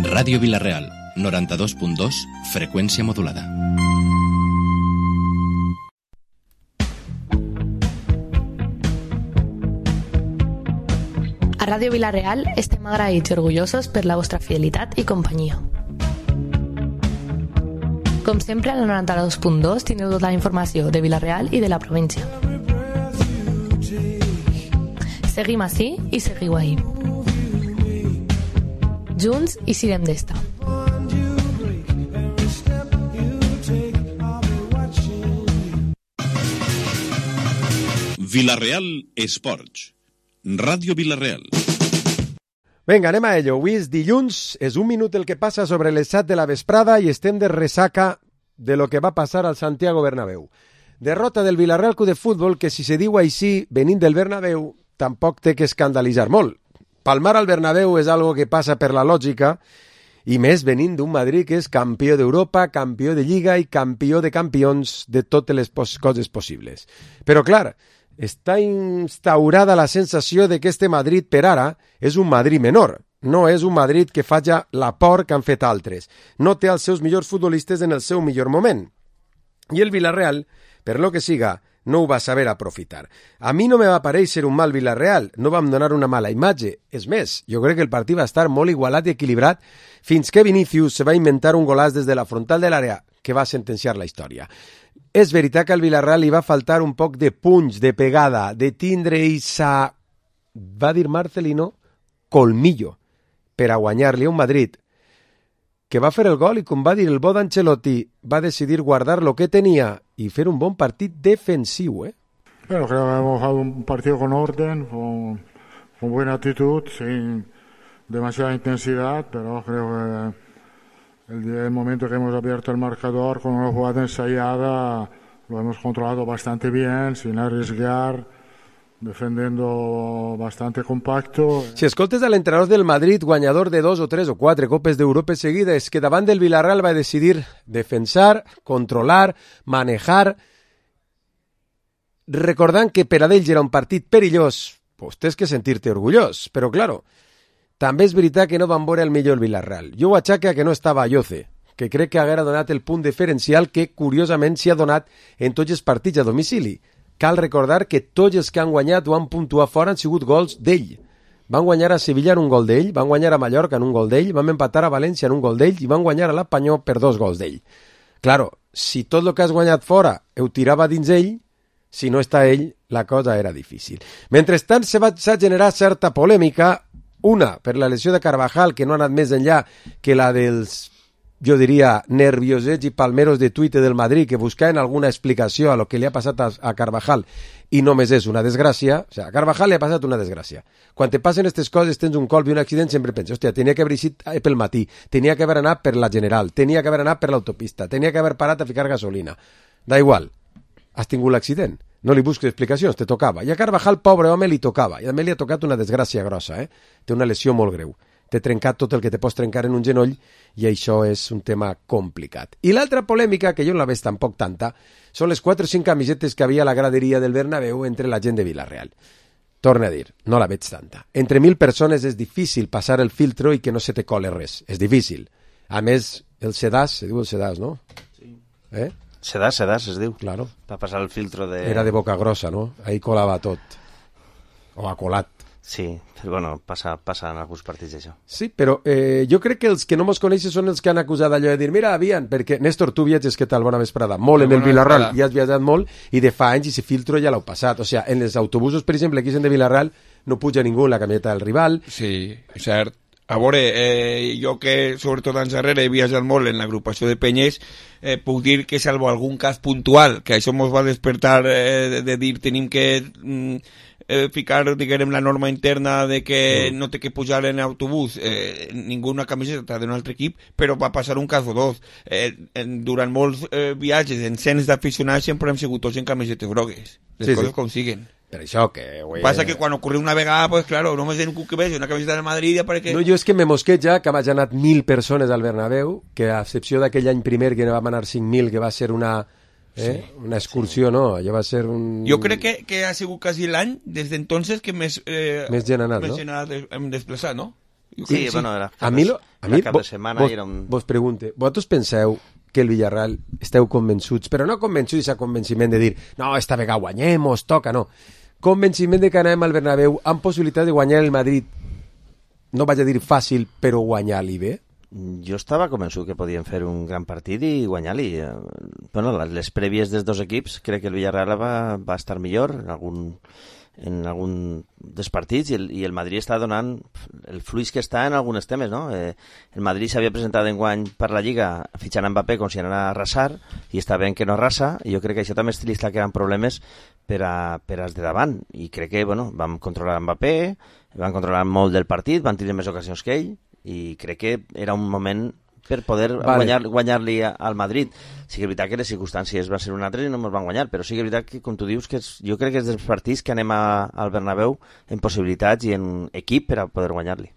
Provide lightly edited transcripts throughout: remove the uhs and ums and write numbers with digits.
Ràdio Vila-real, 92.2, freqüència modulada. A Ràdio Vila-real estem agraïts i orgullosos per la vostra fidelitat i companyia. Com sempre, a la 92.2 tindreu tota la informació de Vila-real i de la província. Seguim ací i seguiu ahí. Junts i sirem d'esta. Vila-real Esports. Ràdio Vila-real. Vinga, anem a ello. Avui és dilluns, és un minut el que passa sobre les 7 de la vesprada i estem de ressaca de lo que va passar al Santiago Bernabéu. Derrota del Villarreal Club de Futbol que, si se diu així, venint del Bernabéu, tampoc té que escandalitzar molt. Palmar al Bernabéu és algo que passa per la lògica, i més venint d'un Madrid que és campió d'Europa, campió de Lliga i campió de campions de totes les coses possibles. Però, clar, està instaurada la sensació de que este Madrid per ara és un Madrid menor. No és un Madrid que faci la por que han fet altres. No té els seus millors futbolistes en el seu millor moment. I el Villarreal, per lo que siga, no ho va saber aprofitar. A mi no me va parèixer un mal Villarreal, no vam donar una mala imatge. És més, jo crec que el partit va estar molt igualat i equilibrat fins que Vinícius se va inventar un golaç des de la frontal de l'àrea que va sentenciar la història. És veritat que al Villarreal li va faltar un poc de punx, de pegada, de tindre esa, va dir Marcelino, colmillo, per a guanyar-li a un Madrid que va fer el gol i, com va dir el bo d'Ancelotti, va decidir guardar lo que tenia i fer un bon partit defensiu, Bueno, creo que hemos jugado un partido con orden, con buena actitud, sin demasiada intensidad, pero creo que el momento que hemos abierto el marcador con una jugada ensayada lo hemos controlado bastante bien, sin arriesgar, defendiendo bastante compacto. Si escoltes a l'entrenador del Madrid, guanyador de 2 o 3 o 4 copes d'Europa seguides, que davant del Villarreal va decidir defensar, controlar, manejar, recordant que per a ells era un partit perillós, pues tens que sentir-te orgullós, però claro, també és veritat que no van veure el millor Villarreal. Jo ho aixaque a que no estava Ayoce, que crec que haguera donat el punt diferencial que, curiosament, s'hi ha donat en tots els partits a domicili. Cal recordar que tots els que han guanyat o han puntuat fora han sigut gols d'ell. Van guanyar a Sevilla en un gol d'ell, van guanyar a Mallorca en un gol d'ell, van empatar a València en un gol d'ell i van guanyar a l'Espanyol per 2 gols d'ell. Claro, si tot el que has guanyat fora ho tirava dins ell, si no està ell, la cosa era difícil. Mentrestant, s'ha generat certa polèmica, una per la lesió de Carvajal, que no ha anat més enllà que la dels, jo diria, nerviosets i palmeros de Twitter del Madrid que buscaven alguna explicació a lo que li ha passat a Carvajal i només és una desgràcia. O sigui, a Carvajal li ha passat una desgràcia. Quan te passen aquestes coses, tens un colp i un accident, sempre penses, hòstia, tenia que haver eixit pel matí, tenia que haver anat per la General, tenia que haver anat per l'autopista, tenia que haver parat a ficar gasolina. Da igual, has tingut l'accident. No li busques explicacions, te tocava. I a Carvajal, pobre home, li tocava. I a mi li ha tocat una desgràcia grossa, Té una lesió molt greu. T'he trencat tot el que te pots trencar en un genoll i això és un tema complicat. I l'altra polèmica, que jo no la veig tampoc tanta, són les 4 o 5 camisetes que havia a la graderia del Bernabéu entre la gent de Villarreal. Torna a dir, no la veig tanta. Entre 1.000 persones és difícil passar el filtro i que no se te cole res. És difícil. A més, el sedàs, se diu el sedàs, no? Sí. Sedàs es diu. Claro. Va passar el filtro de... Era de boca grossa, no? Ahí colava tot. O ha colat. Sí, però bueno, passa en alguns partits això. Sí, però jo crec que els que no mos coneixen són els que han acusat allò de dir, mira, havien, perquè Néstor, tu viatges, què tal? Bona vesprada. Molt en el Villarreal, ja has viatjat molt, i de fa anys i si filtro ja l'heu passat. O sigui, en els autobusos, per exemple, aquí de Villarreal, no puja ningú en la camiseta del rival. Sí, cert. A veure, jo que sobretot anys darrere he viatjat molt en l'agrupació de penyes, puc dir que salvo algun cas puntual, que això ens va despertar de dir tenim que ficar, diguem, la norma interna de que no té que pujar en autobús ninguna camiseta d'un altre equip, però va passar un cas o dos. Durant molts viatges en cents d'aficionats sempre hem sigut tots en camisetes grogues. Les coses com siguen. Per això que... Passa que quan ocorre una vegada, pues claro, només en un que veig una camiseta del Madrid ja perquè... No, jo és que me mosqueja que hagi anat 1.000 persones al Bernabéu, que a excepció d'aquell any primer que vam anar 5.000, que va ser una excursió, no? Allò va ser un... Jo crec que ha sigut quasi l'any, des d'entonces, que més gent ha anat, no? Hem desplaçat, no? Sí, bueno, era a mi cap de setmana i era un... Vos pregunte, vosaltres penseu que el Villarreal esteu convençuts, però no convençuts a convenciment de dir no, esta vegada guanyem o es toca, no. Convenciment de que anem al Bernabéu amb possibilitat de guanyar el Madrid, no vaig a dir fàcil, però guanyar-li bé. Jo estava convençut que podien fer un gran partit i guanyar-li. Bueno, les prèvies dels dos equips, crec que el Villarreal va estar millor en algun dels partits i el Madrid està donant el fluix que està en alguns temes, no? El Madrid s'havia presentat enguany per la Lliga fitxant Mbappé com si anara a arrasar i està ben que no arrasa i jo crec que això també li està creant problemes per als de davant i crec que vam controlar Mbappé, van controlar molt del partit, van tenir més ocasions que ell i crec que era un moment per poder guanyar-li al Madrid. Sí que és veritat que les circumstàncies van ser un altre i no ens van guanyar, però sí que és veritat que, com tu dius, que jo crec que és dels partits que anem al Bernabéu en possibilitats i en equip per a poder guanyar-li.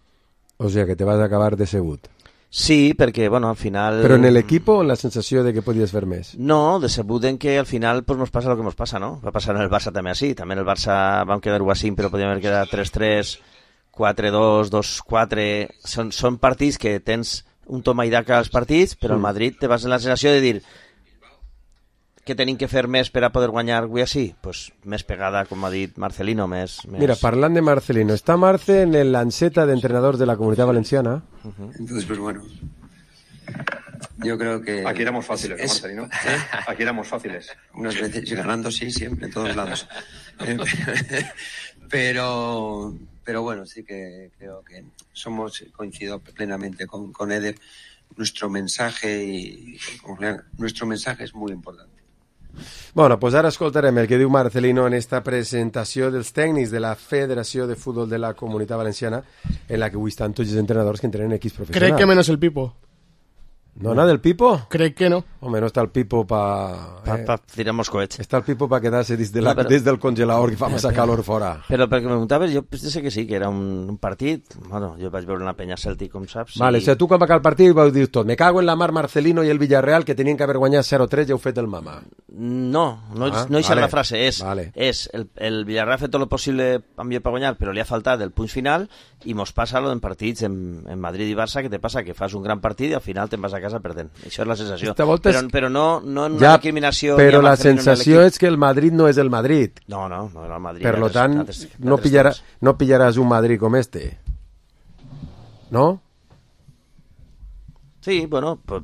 O sigui que te vas acabar decebut. Sí, perquè, al final... Però en l'equip o en la sensació de que podies fer més? No, decebut en que al final pues, nos passa el que nos passa, no? Va passar en el Barça també així. També en el Barça vam quedar 1-5, però podíem haver quedat 3-3, 4-2, 2-4... Són partits que tens un toma i daca als partits, però al Madrid te vas en la sensació de dir que tenim que fer més per a poder guanyar avui així? Pues més pegada, com ha dit Marcelino, més... Mira, parlant de Marcelino, está Marce en el lanceta de entrenador de la Comunitat Valenciana. Entonces, pues bueno, yo creo que... Aquí éramos fáciles, ¿no, Marcelino? Aquí éramos fáciles. Unas veces, ganando sí, siempre, en todos lados. Pero bueno, sí que creo que coincido plenamente con Eder. Nuestro mensaje nuestro mensaje es muy importante. Bueno, pues ara escoltarem el que diu Marcelino en esta presentació dels tècnics de la Federació de Futbol de la Comunitat Valenciana, en la que avui estan tots els entrenadors que entrenen equips professionals. Crec que menos el Pipo. ¿No nada del Pipo? Crec que no. Hombre, no está el Pipo para tirar moscoets. Está el Pipo para quedarse des del congelador que fa massa calor fora. Però perquè me preguntaves, jo sé que sí, que era un partit. Bueno, jo vaig veure una penya Celtic, com saps. Vale, o sigui, tu quan va acabar el partit vau dir tot. Me cago en la mar Marcelino i el Villarreal que tenien que haver guanyat 0-3 i heu fet el mama. No és la frase. És el Villarreal ha fet tot el possible amb per guanyar, però li ha faltat el punt final i mos passa en partits en Madrid i Barça, que te passa que fas un gran partit i al final te'n vas a casa perdent. Això és la sensació. Però no en una recriminació. Però la sensació és que el Madrid no és el Madrid. No era el Madrid. Per lo tant, no pillaràs un Madrid com este. ¿No? Sí, bueno, pues,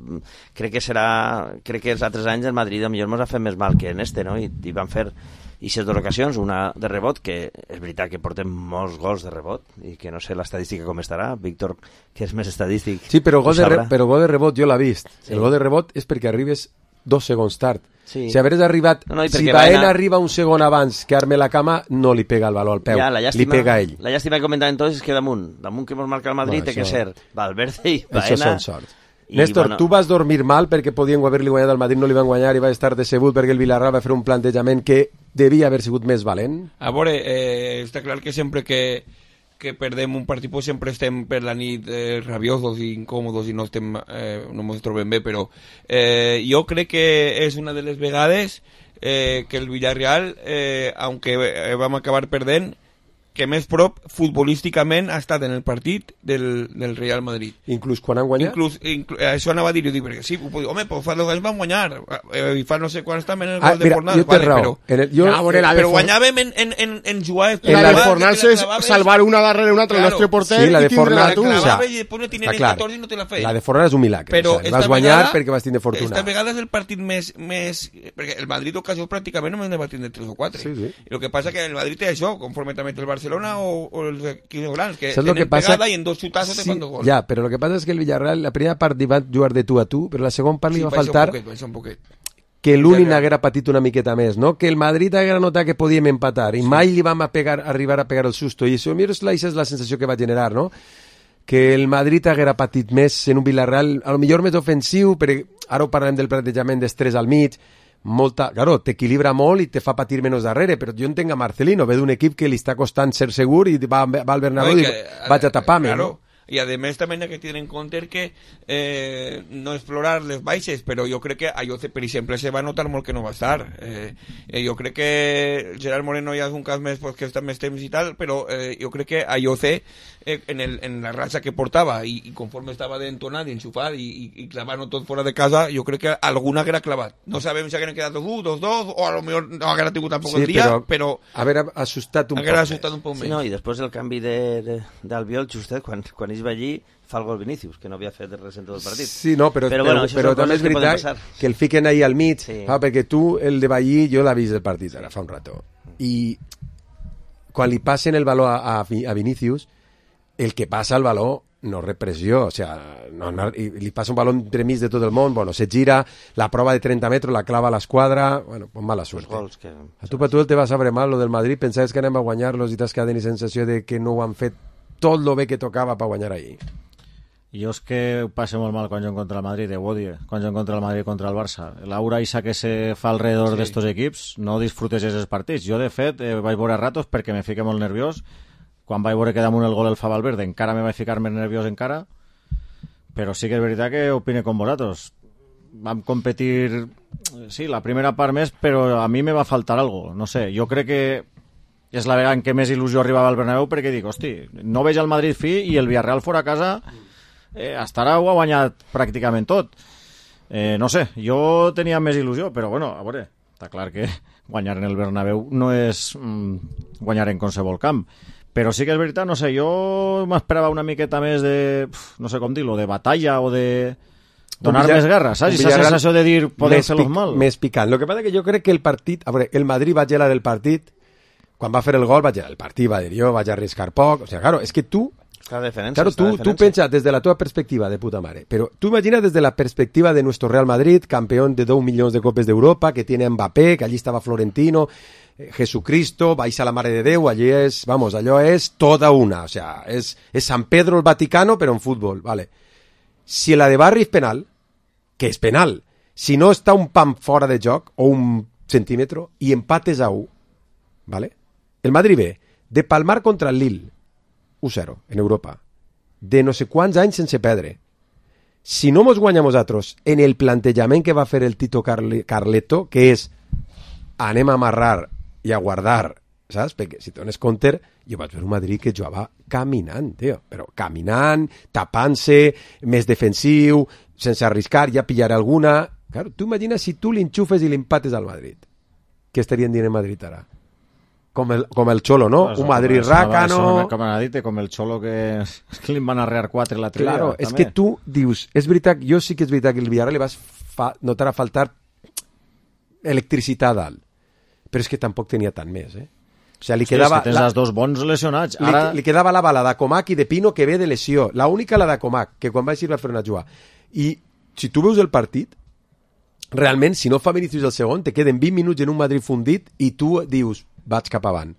crec que els altres anys el Madrid a millor ens ha fet més mal que en este, no? I van fer aquestes dues ocasions, una de rebot, que és veritat que portem molts gols de rebot i que no sé l'estadística com estarà, Víctor, que és més estadístic. Sí, però gol de rebot jo l'he vist. Sí. El gol de rebot és perquè arribes 2 segons tard. Sí. Si hagués arribat, si Baena arriba un segon abans que arme la cama, no li pega el baló al peu, li pega a ell. La llàstima que comentaven tots és que damunt que ens marca el Madrid té que ser Valverde i Baena. Això són sort. Néstor, tu vas dormir mal perquè podien haver-li guanyat al Madrid, no li van guanyar i va estar decebut perquè el Villarreal va fer un plantejament que devia haver sigut més valent? A veure, està clar que sempre que perdem un partit pues sempre estem per la nit rabiosos i incòmodos i no ens trobem bé, però jo crec que és una de les vegades que el Villarreal, aunque vam acabar perdent, que més prop futbolísticament ha estat en el partit del Real Madrid. Inclús quan han guanyat? Això anava a dir, perquè sí, home, fa 2 anys van guanyar, i fa no sé quants també en el gol de Fornals, però guanyàvem en jugar... La de Fornals és salvar una darrere una altre el nostre porter i tindre-la tu. La de Fornals és un milagre. Vas guanyar perquè vas tindre fortuna. Esta vegada és el partit més... Perquè el Madrid ocasió pràcticament només va tindre 3 o 4. I el que passa que el Madrid té això, conforme també té el Barcelona o els equips grans, que tenen pegada i en 2 xutazos te fan 2 gols. Ja, però el que passa és que el Villarreal, la primera part va jugar de tu a tu, però la segona part li va faltar que l'Uni n'haguera patit una miqueta més, no? Que el Madrid haguera notat que podíem empatar i mai li vam arribar a pegar el susto, i això és la sensació que va generar, no? Que el Madrid haguera patit més en un Villarreal, a lo millor més ofensiu, però ara ho parlem del plantejament d'estrès al mig, claro, t'equilibra molt i te fa patir menys darrere, però jo entenc a Marcelino, ve d'un equip que li està costant ser segur i va al Bernabéu i vaig a tapar-me, no? i a més també hay que tenir en compte que no explorar les baixes, però jo crec que a Ayoce, per exemple, se va notar molt que no va estar. Jo crec que Gerard Moreno ja és un cas més que està més temps i tal, però jo crec que Ayoce en la racha que portava i conforme estava d'entonat i enxufat i clavant tot fora de casa, jo crec que alguna haguera clavat. No sabem si hagueren quedat 2-2 o a lo millor no haguera tingut tampoc el dia, però haver assustat un poc més. Sí, no, i després el canvi d'Albiol, justet, quan ell va allí fa el gol Vinícius, que no havia fet res en tot el partit. Sí, no, però també és veritat que el fiquen ahí al mig, perquè tu, el de Ballí, jo l'he vist el partit ara fa un rato, i quan li passen el valor a Vinícius, el que passa al valor no repressió, o sea, li passa un balón entremig de tot el món, bueno, se gira, la prova de 30 metres la clava a l'esquadra, bueno, pues mala suerte. A tu per tu te va saber mal lo del Madrid, pensaves que anem a guanyar-los i t'has quedat amb la sensació de que no ho han fet tot lo bé que tocava per guanyar ahir. Jo és que ho passo molt mal quan jo contra el Madrid, quan jo contra el Madrid contra el Barça. L'aura isa que se fa alrededor d'estos equips no disfrutes aquests partits. Jo, de fet, vaig veure ratos perquè me fique molt nerviós. Quan vaig veure que damunt el gol el fa Valverde encara me vaig ficar més nerviós encara, però sí que és veritat que opine com vosaltres. Vam competir, sí, la primera part més, però a mi me va faltar algo. No sé, jo crec que és la vegada en què més il·lusió arribava al Bernabéu, perquè dic, hosti, no veig el Madrid fi i el Villarreal fora a casa hasta ara ho ha guanyat pràcticament tot. No sé, jo tenia més il·lusió, però bueno, a veure, està clar que guanyar en el Bernabéu no és guanyar en qualsevol camp. Però sí que és veritat, no sé, jo m'esperava una miqueta més de, no sé com dir-lo, de batalla o de donar més guerra, saps? I esa sensació de dir, podem fer-los mal. Més picant. Lo que passa que jo crec que el partit, a veure, el Madrid va gelar el partit, quan va fer el gol va gelar el partit, va dir jo, vaig arriscar poc, o sea, claro, és que tu, claro, tú piensas desde la tua perspectiva de puta madre, pero tú imaginas desde la perspectiva de nuestro Real Madrid, campeón de 2 millones de copes de Europa, que tiene a Mbappé, que allí estaba Florentino, Jesucristo, vais a la Mare de Déu, allí es, vamos, allò és toda una, o sea, es San Pedro el Vaticano, pero en fútbol, vale. Si la de Barri és penal, que és penal, si no està un pam fora de joc, o un centímetro, i empates a 1, vale? El Madrid ve de palmar contra el Lille, 1-0 en Europa, de no sé quants anys sense perdre. Si no mos guanyem nosaltres en el plantejament que va fer el Tito Carleto, que és anem a amarrar i a guardar, saps? Perquè si dones compte, jo vaig veure un Madrid que jugava caminant, tio, però caminant, tapant-se, més defensiu, sense arriscar, ja pillaré alguna. Claro, tu imagina si tu l'enxufes i l'empates al Madrid. Què estarien dient en Madrid ara? Com el Cholo, ¿no? Pues un Madrid rácano. Com el Cholo que li van arrear 4 la tria. Claro, és que tu dius, és veritat, jo sí que és veritat que el Villarreal li vas notar a faltar electricitat dalt, però és que tampoc tenia tant més, O sigui, li quedava... És que tens els dos bons lesionats. Ara... Li quedava la bala d'Acomac i de Pino que ve de lesió. La única la d'Acomac, que quan va així va fer una jugada. I si tu veus el partit, realment, si no fa Vinícius el segon, te queden 20 minuts en un Madrid fundit i tu dius, vaig cap avant.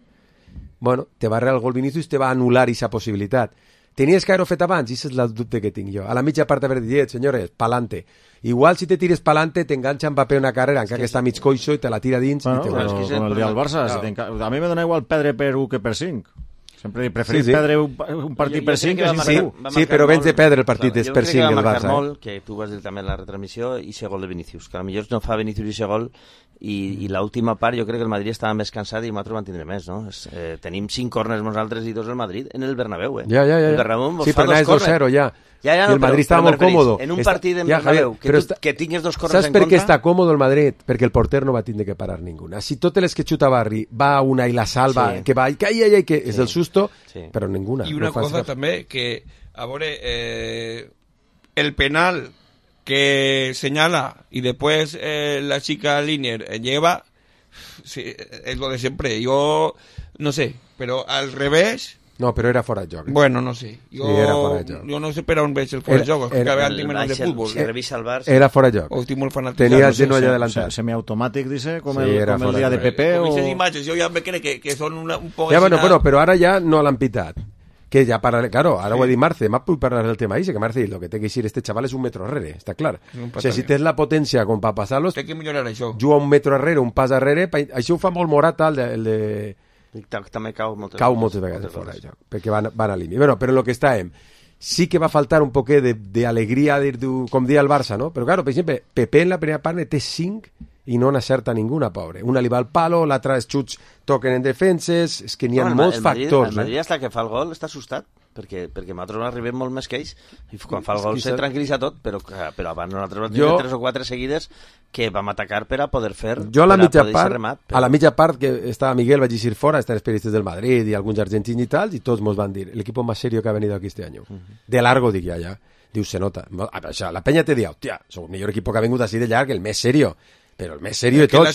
Bueno, te va arreglar el gol Vinícius, te va anul·lar aquesta possibilitat. Tenies que haver-ho fet abans, i és el dubte que tinc jo. A la mitja part haver dit, senyores, pa'lante. Igual si te tires pa'lante, t'enganxa Mbappé una carrera, encara que està mig coixo i te la tira dins. Bueno, i te com el dia del Barça. Claro. A mi me dona igual perdre per 1 que per 5. Sempre preferís perdre un partit per 5 que sin 1. Sí, però vens de perdre el partit per 5 el Barça. Jo crec que va marcar molt, que tu vas dir també en la retransmissió, i ese gol de Vinícius, que potser no fa Vinícius i ese gol, i l'última part jo crec que el Madrid estava més cansat i nosaltres van tindre més, no? Tenim 5 corners nosaltres i 2 el Madrid en el Bernabéu, Ja. El Bernabéu sí, però és 2-0 ja. No, el Madrid estava molt còmodo. En un partit en Bernabéu, que tingues 2 corners en contra... Saps per què està còmodo el Madrid? Perquè el porter no va tindre que parar ninguna. Si totes les que xuta Barri va una i la salva, que va, que és el susto, però ninguna. I una cosa també, que a veure, el penal que señala y después la chica Linier lleva, sí, es lo de siempre. Yo no sé, pero al revés... No, però era fora de joc. Bueno, no sé. Jo, sí, era fora de joc. Jo no sé per on veig el fora de joc, que vean menos de fútbol. Si revisa el bar... Era fora de joc. O estic molt fanatitzat. Tenia el genoll adelantat. Semiautomàtic, dice, com el dia de Pepe o... Con esas imatges, jo ja me crec que són un poc... Ja, bueno, però ara ja no l'han pitat. Que ya para, claro, ahora voy a decir Marce, más puedo hablar del tema ahí, que Marce, lo que tiene que decir este chaval es un metro arrere, está claro. O sea, si tens la potència com per passar-los, té que millorar això. Juga un metro arrere, un pas arrere, això ho fa molt Morata, el de... També cau moltes vegades fora de joc, perquè van a límit. Bueno, però en el que estàvem, sí que va faltar un poquet d'alegria, com dia el Barça, no? Però, claro, per exemple, Pepe en la primera part ne té 5 i no n'acerta ninguna, pobre. Una li va al palo, l'altra els xuts toquen en defenses, és que n'hi ha molts factors. El Madrid, hasta que fa el gol, està assustat, perquè nosaltres arribem molt més que ells, i quan fa el gol se tranquil·litza tot, però abans nosaltres vam tenir 3 o 4 seguides que vam atacar per a poder fer... Jo a la mitja part que estava Miguel, vaig dir fora, estan els periodistes del Madrid i alguns argentins i tal, i tots mos van dir, el equipo más serio que ha venido aquí este año. De largo, dic ja. Diu, se nota. La penya te diu, hòstia, som el millor equip que ha vingut així de llarg, el més serio. Però el més serio de tots...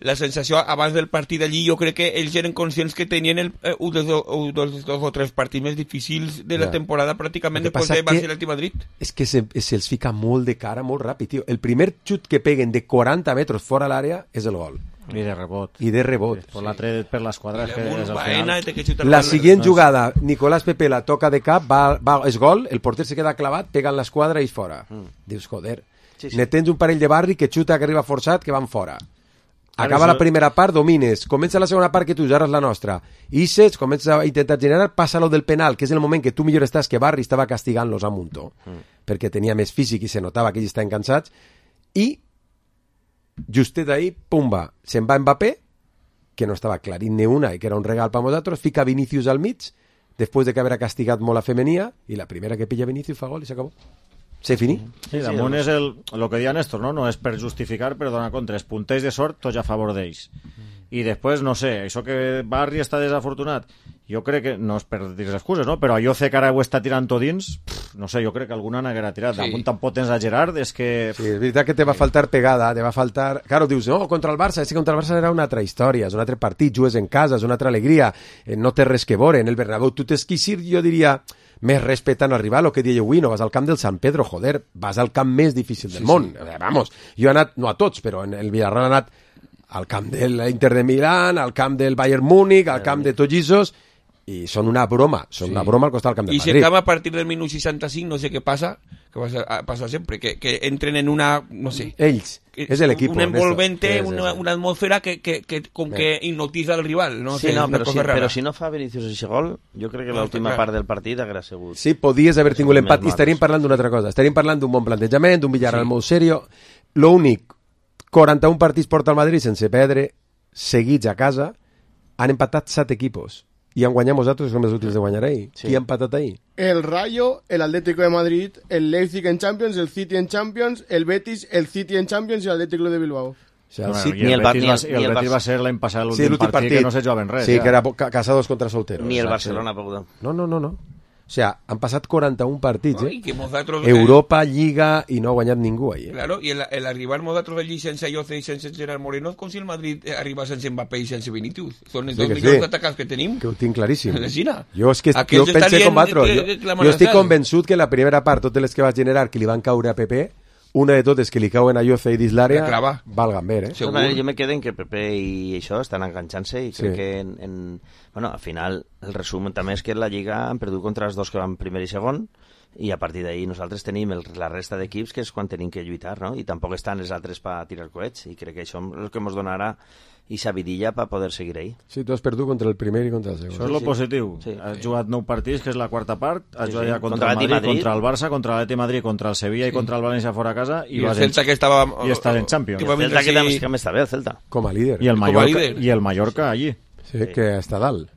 La sensació abans del partit allí, jo crec que ells eren conscients que tenien un dels 2 o 3 partits més difícils de la temporada pràcticament després de Barcelona i Madrid. És que se'ls fica molt de cara, molt ràpid, tio. El primer xut que peguen de 40 metres fora a l'àrea és el gol. I de rebot. Per l'altre per l'esquadra. La següent jugada, Nicolás Pepe la toca de cap, és gol, el porter se queda clavat, pega en l'esquadra i fora. Dius, joder... Sí. Ne tens un parell de barri que xuta, que arriba forçat, que van fora. Acaba la primera part, domines. Comença la segona part, que tu ja eres la nostra. Ixes, comença a intentar generar, passa lo del penal, que és el moment que tu millor estàs, que Barri estava castigant-los a muntó, perquè tenia més físic i se notava que ells estaven cansats, i justet ahí, pumba, se'n va Mbappé, que no estava clarint ni una i que era un regal per nosaltres, fica Vinícius al mig, després de que haver castigat molt la femenia, i la primera que pilla Vinícius fa gol i s'acabó. Se finí. Sí, damunt és el que deia Néstor, no és per justificar, però donar compte, els punters de sort tots a favor d'ells. I després, no sé, això que Barri està desafortunat, jo crec que, no és per dir excuses, no? Però allò que ara ho està tirant tot dins, no sé, jo crec que alguna n'haguera tirat. Damunt tampoc tens a Gerard, és que... Sí, és veritat que te va faltar pegada, te va faltar... Claro, dius, no, contra el Barça, és que contra el Barça era una altra història, és un altre partit, jugues en casa, és una altra alegria, no té res que veure, en el Bernabéu tu tens que ir, jo diria... més respetant al rival, el que deia avui, no vas al camp del San Pedro, joder, vas al camp més difícil del món. Vamos, jo he anat, no a tots, però en el Villarreal he anat al camp de l'Inter de Milán, al camp del Bayern Múnich, al camp de Tollisos, i són una broma al costat del camp del Madrid. I si acaba a partir del minut 65, no sé què passa, que passa sempre, que entren en una, no sé... Ells, és l'equip. Un envolvente, una atmosfera que com que hipnotitza el rival. No? Sí, no, però si no fa Vinícius ese gol, jo crec que l'última part del partit haguera sigut... Sí, podies haver tingut l'empat, i estaríem parlant d'una altra cosa. Estaríem parlant d'un bon plantejament, d'un Villarreal molt serio. L'únic, 41 partits porta el Madrid sense perdre, seguits a casa, han empatat 7 equipos. I han guanyat nosaltres, som els últims de guanyar ahir. Qui ha empatat ahir? El Rayo, el Atlético de Madrid, el Leipzig en Champions, el City en Champions, el Betis, el City en Champions i el Atlético de Bilbao. O sea, ni el Betis va ser l'any passat l'últim partit que no se jugaven res. Sí, que era casados contra solteros. Ni el Barcelona ha pogut. No. O sea, han passat 41 partits, nosaltres, Europa, Lliga, i no ha guanyat ningú ahí. Claro, i el arribar nosaltres allí sense Ayoce i sense Gerard Moreno, com si el Madrid arriba sense Mbappé i sense Vinícius. Són els dos millors atacants que tenim. Que ho tinc claríssim. Jo pensé com vosaltres. Jo estic convençut que la primera part, totes les que va generar, que li van caure a Pepe, una de totes que li cauen a Ayoce i dins l'àrea, valgan bé, Jo me quedo en que Pepe i això estan enganxant-se i crec que bueno, al final el resum també és que la Lliga han perdut contra els dos que van primer i segon i a partir d'ahir nosaltres tenim la resta d'equips que és quan tenim que lluitar, no? I tampoc estan els altres per tirar coets i crec que això és el que ens donarà i sabidilla per poder seguir ahí. Sí, tu has perdut contra el primer i contra el segon. Això és lo positiu. Sí. Has jugat 9 partits, que és la quarta part, has jugat ja contra el Madrid, contra el Barça, contra l'Atleti Madrid, contra el Sevilla i contra el València fora a casa i el Celta que estava... I estàs en Champions. El Celta que també està bé, el Celta. Com a líder. I el Mallorca allí. Sí, que està dalt.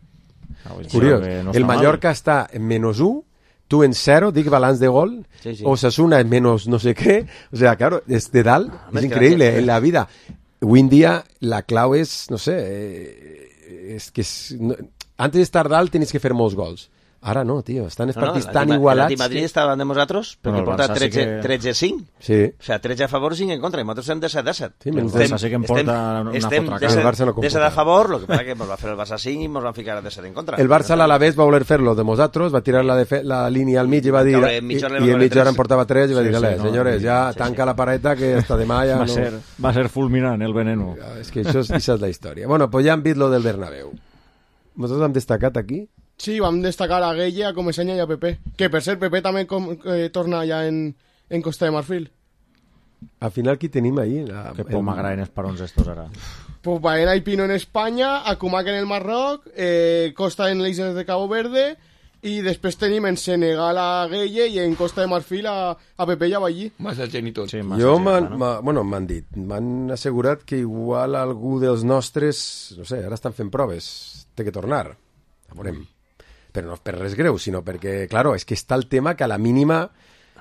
Curiós. El Mallorca està en -1, tu en 0, dic balanç de gol, Osasuna en menos no sé què, o sea, claro, es de dalt, es increíble en la vida. Hoy en día la clau és, no sé, és que antes d'estar dalt tens que fer molts gols. Ara no, tio, estan els partits tan igualats... El Madrid estava de nosaltres perquè porta 13-5. Sí. O sea, 13 a favor, 5 en contra, i nosaltres estem de 7-7. Sí, el Barça sí que em porta una fotra casa. De 7 a favor, el que passa que ens va fer el Barça 5 i ens van ficar de 7 en contra. El Barça a l'Alavés va voler fer-lo de nosaltres, va tirar la línia al mig i va dir... I en mitja hora en portava 3 i va dir, senyores, ja tanca la pareta que hasta demà ja no... Va ser fulminant el veneno. És que això és la història. Bueno, pues ja hem vist lo del Bernabéu. Nosaltres hem destacat aquí... Sí, vam destacar a Gueye, a Comesaña i a Pepe. Que per ser Pepe també torna ja en Costa de Marfil. Al final, qui tenim ahí? Que poc m'agraden els parons estos ara. Pues Baena y Pino en España, Akumak en el Marroc, Costa en las Islas de Cabo Verde I després tenim en Senegal a Gueye i en Costa de Marfil a Pepe i a Ballí. Massa gent i tot. Sí, m'han dit, m'han assegurat que igual algú dels nostres, no sé, ara estan fent proves, té que tornar, a veurem. Però no és per res greu, sinó perquè, claro, és que està el tema que a la mínima...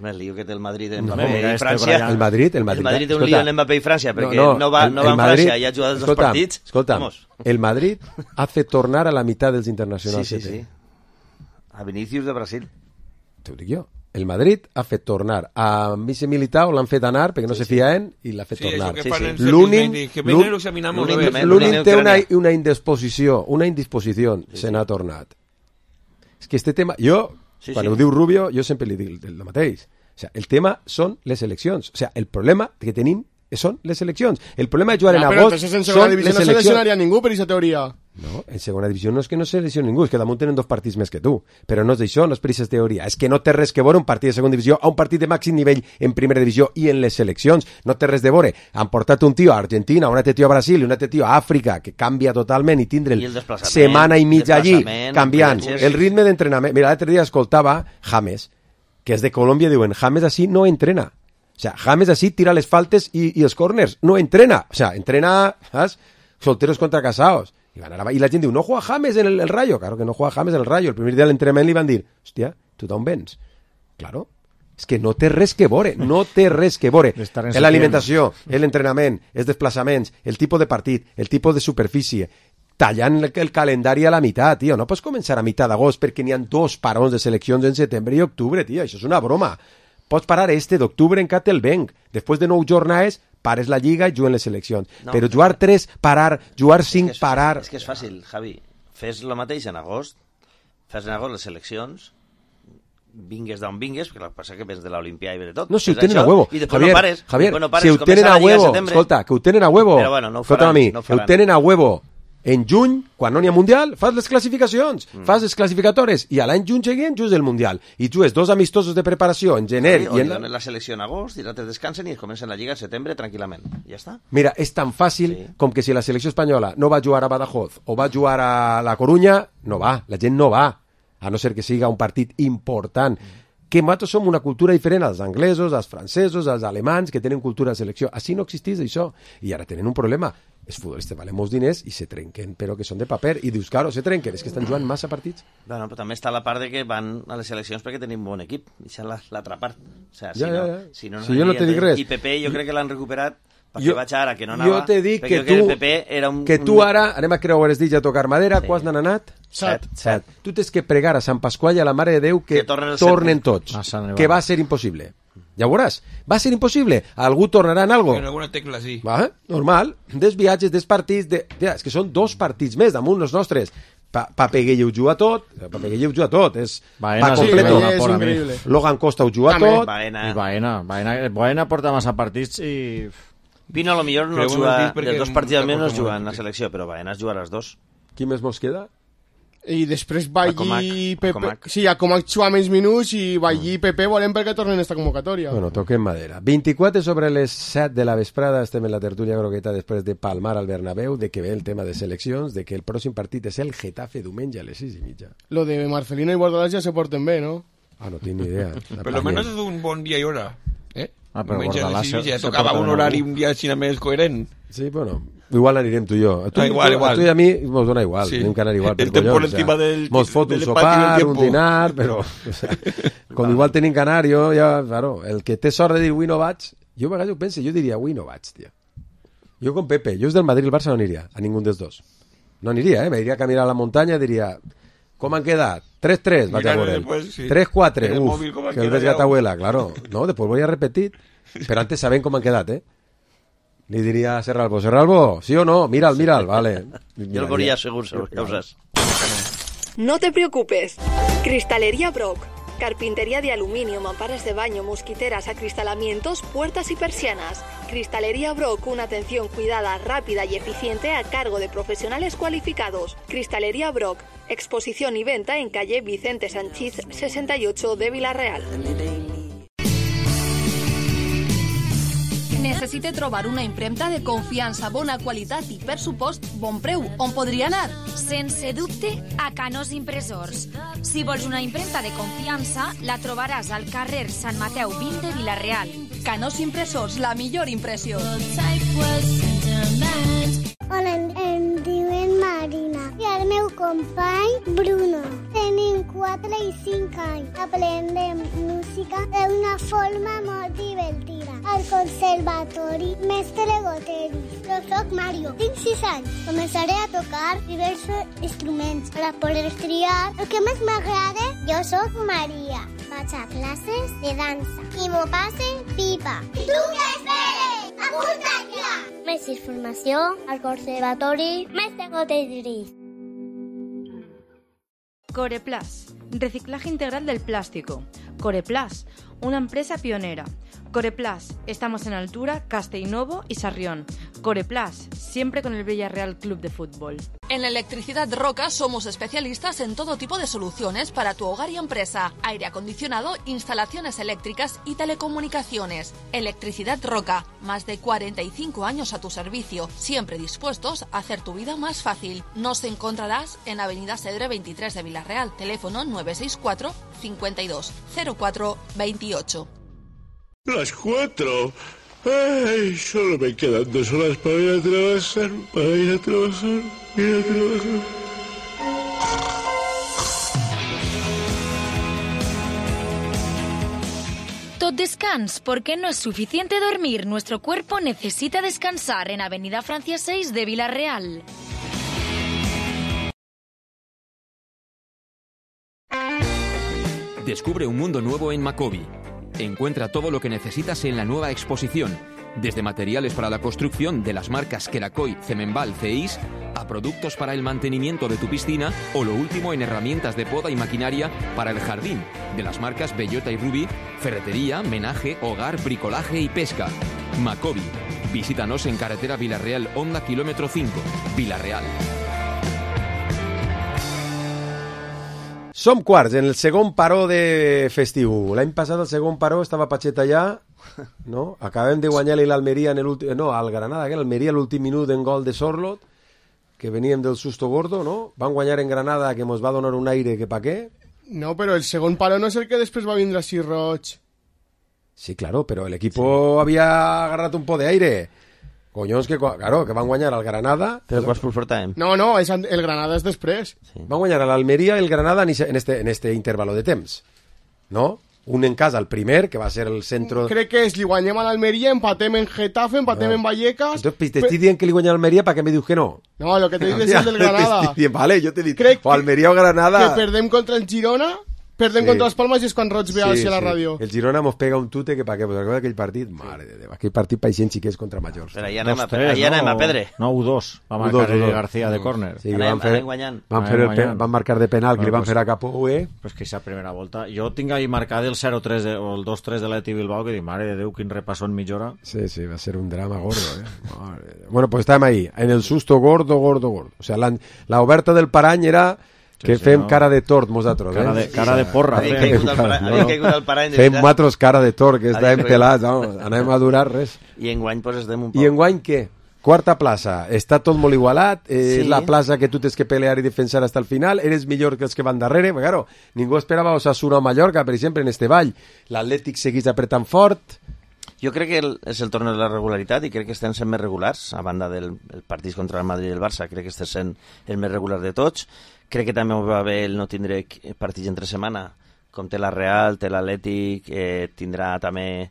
El lío que té el Madrid en Mbappé i França. El Madrid té un lío en Mbappé i França, perquè no va en França i ha jugat els dos partits. Escolta'm, el Madrid hace tornar a la mitad dels internacionals. Sí. A Vinícius de Brasil. T'ho dic jo. El Madrid ha fet tornar a Misse Militao, l'han fet anar perquè no se fien i l'ha fet tornar. L'únic té una indisposició, se n'ha tornat. És que este tema... Quan ho diu Rubio, jo sempre li dic el mateix. O sea, el tema són les eleccions. O sea, el problema que tenim són les eleccions. El problema de jugar en agost són les eleccions. Però en segona divisió no seleccionaria ningú per aquesta teoria. No, en segona divisió no és que no seleccioni ningú, és que damunt tenen 2 partits més que tu. Però no és d'això, no és per aquesta teoria. És que no té res que veure un partit de segona divisió a un partit de màxim nivell en primera divisió i en les seleccions. No té res de veure. Han portat un tio a Argentina, un altre tio a Brasil i un altre tio a Àfrica, que canvia totalment i tindre setmana i mitja allí, canviant el ritme d'entrenament. Mira, l'altre dia escoltava James, que és de Colòmbia, diuen, James així no entrena. O sea, James así tira les faltes y els corners, no entrena. O sea, entrena, ¿sabes? Solteros contra casados. Y la gent diu, no juega James en el Rayo. Claro que no juega James en el Rayo. El primer dia de l'entrenament li van dir, hòstia, tu d'on vens? Claro, és que no té res que veure, no té res que veure. L'alimentació, l'entrenament, els desplaçaments, el tipus de partit, el tipus de superfície, tallant el calendari a la meitat, tio. No pots començar a meitat d'agost perquè n'hi ha 2 parons de seleccions en setembre i octubre, tio. Això és una broma. Pots parar d'octubre en Catelbenc. Després de 9 jornades, pares la Lliga i juguen les seleccions. No, però jugar 3, parar, jugar 5, parar... És que és fàcil, Javi. Fes el mateix en agost, fes en agost les seleccions, vingues d'on vingues, perquè el que passa que vens de l'Olimpià i ve de tot. No, si ho tenen a huevo. I després no pares. Javier, si ho tenen a huevo, escolta, que ho tenen a huevo. Però bueno, no ho faran. Que ho tenen a huevo. En juny, quan no n'hi ha Mundial, fas les classificacions, fas les classificatores, i a l'any juny següent jugues el Mundial. I jugues 2 amistosos de preparació en gener... O donen la selecció en agost, i l'altre descansen i comencen la Lliga en setembre tranquil·lament. Ja està. Mira, és tan fàcil com que si la selecció espanyola no va jugar a Badajoz o va jugar a La Corunya, no va, la gent no va, a no ser que siga un partit important. Que nosaltres som una cultura diferent als anglesos, als francesos, als alemans, que tenen cultura de selecció. Així no existeix això. I ara tenen un problema. Els futbolistes valen molts diners i se trenquen, però que són de paper. I dius, claro, se trenquen, és que estan jugant massa partits. Bueno, però també està la part de que van a les seleccions perquè tenim bon equip. Això és l'altra part. O sea, si jo no te dic res. I Pepe jo crec que l'han recuperat perquè vaig ara, que no anava. Jo te dic que tu ara, anem a creuar els dits a tocar madera, quants n'han anat? 7. Tu tens que pregar a Sant Pasqual i a la Mare de Déu que tornen tots, que va ser impossible. Ja ho veuràs, va ser impossible. Algú tornarà en algo. En alguna tecla, sí. Normal, des viatges, des partits... És que són 2 partits més damunt els nostres. Papeguell ho juga tot, és pa completo. Logan Costa ho juga tot. I Baena porta massa partits i... Pino a lo millor no juga, dels 2 partits almenys no juga en la selecció, però Baena es juga a les 2. Qui més mos queda? I després Ballí i Pepe... Sí, a Comac juga menys minuts i Ballí i Pepe volem perquè tornen esta convocatòria. Bueno, toquem madera. 24 sobre les 7 de la vesprada, estem en la tertúlia grogueta després de palmar al Bernabéu, de que ve el tema de seleccions, de que el pròxim partit és el Getafe diumenge a les 6:30. Lo de Marcelino i Bordalás ja se porten bé, ¿no? No tinc ni idea. Per lo menos és un bon dia i hora. Però Bordalás ja tocava un horari un dia així més coherent. Sí, bueno... Igual anirem tu i jo. Igual. A tu i a mi mos dona igual. Tenim que anar igual. El tempo por encima del... Mos fot un sopar, un dinar, però... Com igual tenim que anar, jo ja... Claro, el que té sort de dir avui no vaig, jo a vegades ho penso, jo diria avui no vaig, tia. Jo com Pepe, jo és del Madrid i el Barça no aniria, a ningú dels dos. No aniria, m'aniria a caminar a la muntanya i diria... Com han quedat? 3-3, vaig a veure. 3-4, que el ves gatabuela, claro. No, després voy a repetir. Però antes saben com han quedat, Li diria a Serralbo, ¿sí o no? Mira'l, vale. Yo el voría seguro, causas. No te preocupes. Cristalería Brock. Carpintería de aluminio, mamparas de baño, mosquiteras, acristalamientos, puertas y persianas. Cristalería Brock, una atención cuidada, rápida y eficiente a cargo de profesionales cualificados. Cristalería Brock, exposición y venta en calle Vicente Sanchís 68 de Vila Real. Necessite trobar una impremta de confiança, bona qualitat i, per supost, bon preu. On podria anar? Sense dubte, a Canós Impressors. Si vols una impremta de confiança, la trobaràs al carrer Sant Mateu 20 de Vila-real. Canós Impressors, la millor impressió. Hola, em diuen Marina i el meu company Bruno. Tenim 4 i 5 anys. Aprendem música d'una forma molt divertida. Al Conservatori Mestre Goteri. Jo soc Mario, tinc 6 anys. Començaré a tocar diversos instruments per a poder triar el que més m'agrada. Jo soc Maria. Vaig a classes de dansa i m'ho passe pipa. I tu què esperes? Apunta't ja! Més informació al Conservatori Mestre Goteri. Coreplas, reciclaje integral del plástico. Coreplas, una empresa pionera. Coreplas, estamos en Altura, Castellnovo y Sarrión. Coreplas, siempre con el Villarreal Club de Fútbol. En Electricidad Roca somos especialistas en todo tipo de soluciones para tu hogar y empresa. Aire acondicionado, instalaciones eléctricas y telecomunicaciones. Electricidad Roca, más de 45 años a tu servicio, siempre dispuestos a hacer tu vida más fácil. Nos encontrarás en Avenida Cedre 23 de Vila-real, teléfono 964 52 04 28. Las 4. Ay, solo me quedan 2 horas para ir a trabajar. Tot descans, porque no es suficiente dormir. Nuestro cuerpo necesita descansar en Avenida Francia 6 de Vila-real. Descubre un mundo nuevo en Macobi. Encuentra todo lo que necesitas en la nueva exposición, desde materiales para la construcción de las marcas Kerakoy, Cemenbal, CEIS, a productos para el mantenimiento de tu piscina o lo último en herramientas de poda y maquinaria para el jardín, de las marcas Bellota y Rubí, ferretería, menaje, hogar, bricolaje y pesca. Macobi. Visítanos en carretera Vila-real, Honda, kilómetro 5, Vila-real. Som quarts en el segon paró de festiu. L'any passat el segon paró estava Pachet allà, no? Acabem de guanyar-li l'Almeria en l'últim... No, al Granada, que l'Almeria l'últim minut en gol de Sorlot, que veníem del susto gordo, no? Van guanyar en Granada, que mos va donar un aire que pa què. No, però el segon paró no és el que després va vindre així roig. Sí, claro, pero el equipo había agarrat un po de aire. Collons, que claro, que van guanyar al Granada. Però quants punts portàvem? No, el Granada és després. Sí. Van guanyar a l'Almeria i el Granada en este intervalo de temps. ¿No? Un en casa, el primer, que va ser el centro... Crec que li guanyem a l'Almeria, empatem en Getafe, empatem en Vallecas... Entonces, te estoy dient que li guanyem a l'Almeria, ¿para qué me dius que no? No, lo que te dic és el del Granada. Vale, yo te dic, o Almeria o Granada... Que perdem contra el Girona... Perdem contra les Palmes i és quan Roig ve a la ràdio. El Girona mos pega un tute que pa què, pues recorda aquell partit, mare de Déu, aquell partit paixent xiquets contra majors. Però allà anem a pedre. No, 1-2, va marcar García de córner. Sí, anem guanyant. Van marcar de penal, que li van fer a Capó, Pues que esa primera volta. Jo tinc ahí marcat el 0-3 o el 2-3 de l'Atleti Bilbao, que dic, mare de Déu, quin repassón mitja hora. Sí, va ser un drama gordo, Bueno, pues estàvem ahí, en el susto gordo. O sea, la oberta del parany era... Que fem cara de tort, nosaltres, Cara de porra. Fem nosaltres cara de tort, que estàvem pelats, anem a durar res. I enguany, pues, estem un poc... I enguany, què? Quarta plaça. Està tot molt igualat, és la plaça que tu tens que pelear i defensar hasta el final, eres millor que els que van darrere, perquè, claro, ningú esperava Osasuna o Mallorca, per exemple, en este ball. L'Atlètic segueix apretant fort... Jo crec que és el torn de la regularitat i crec que estem sent més regulars, a banda del partit contra el Madrid i el Barça, crec que estem sent el més regular de tots. Crec que també va bé el no tindre partits entre setmana, com té la Real, té l'Atlètic, tindrà també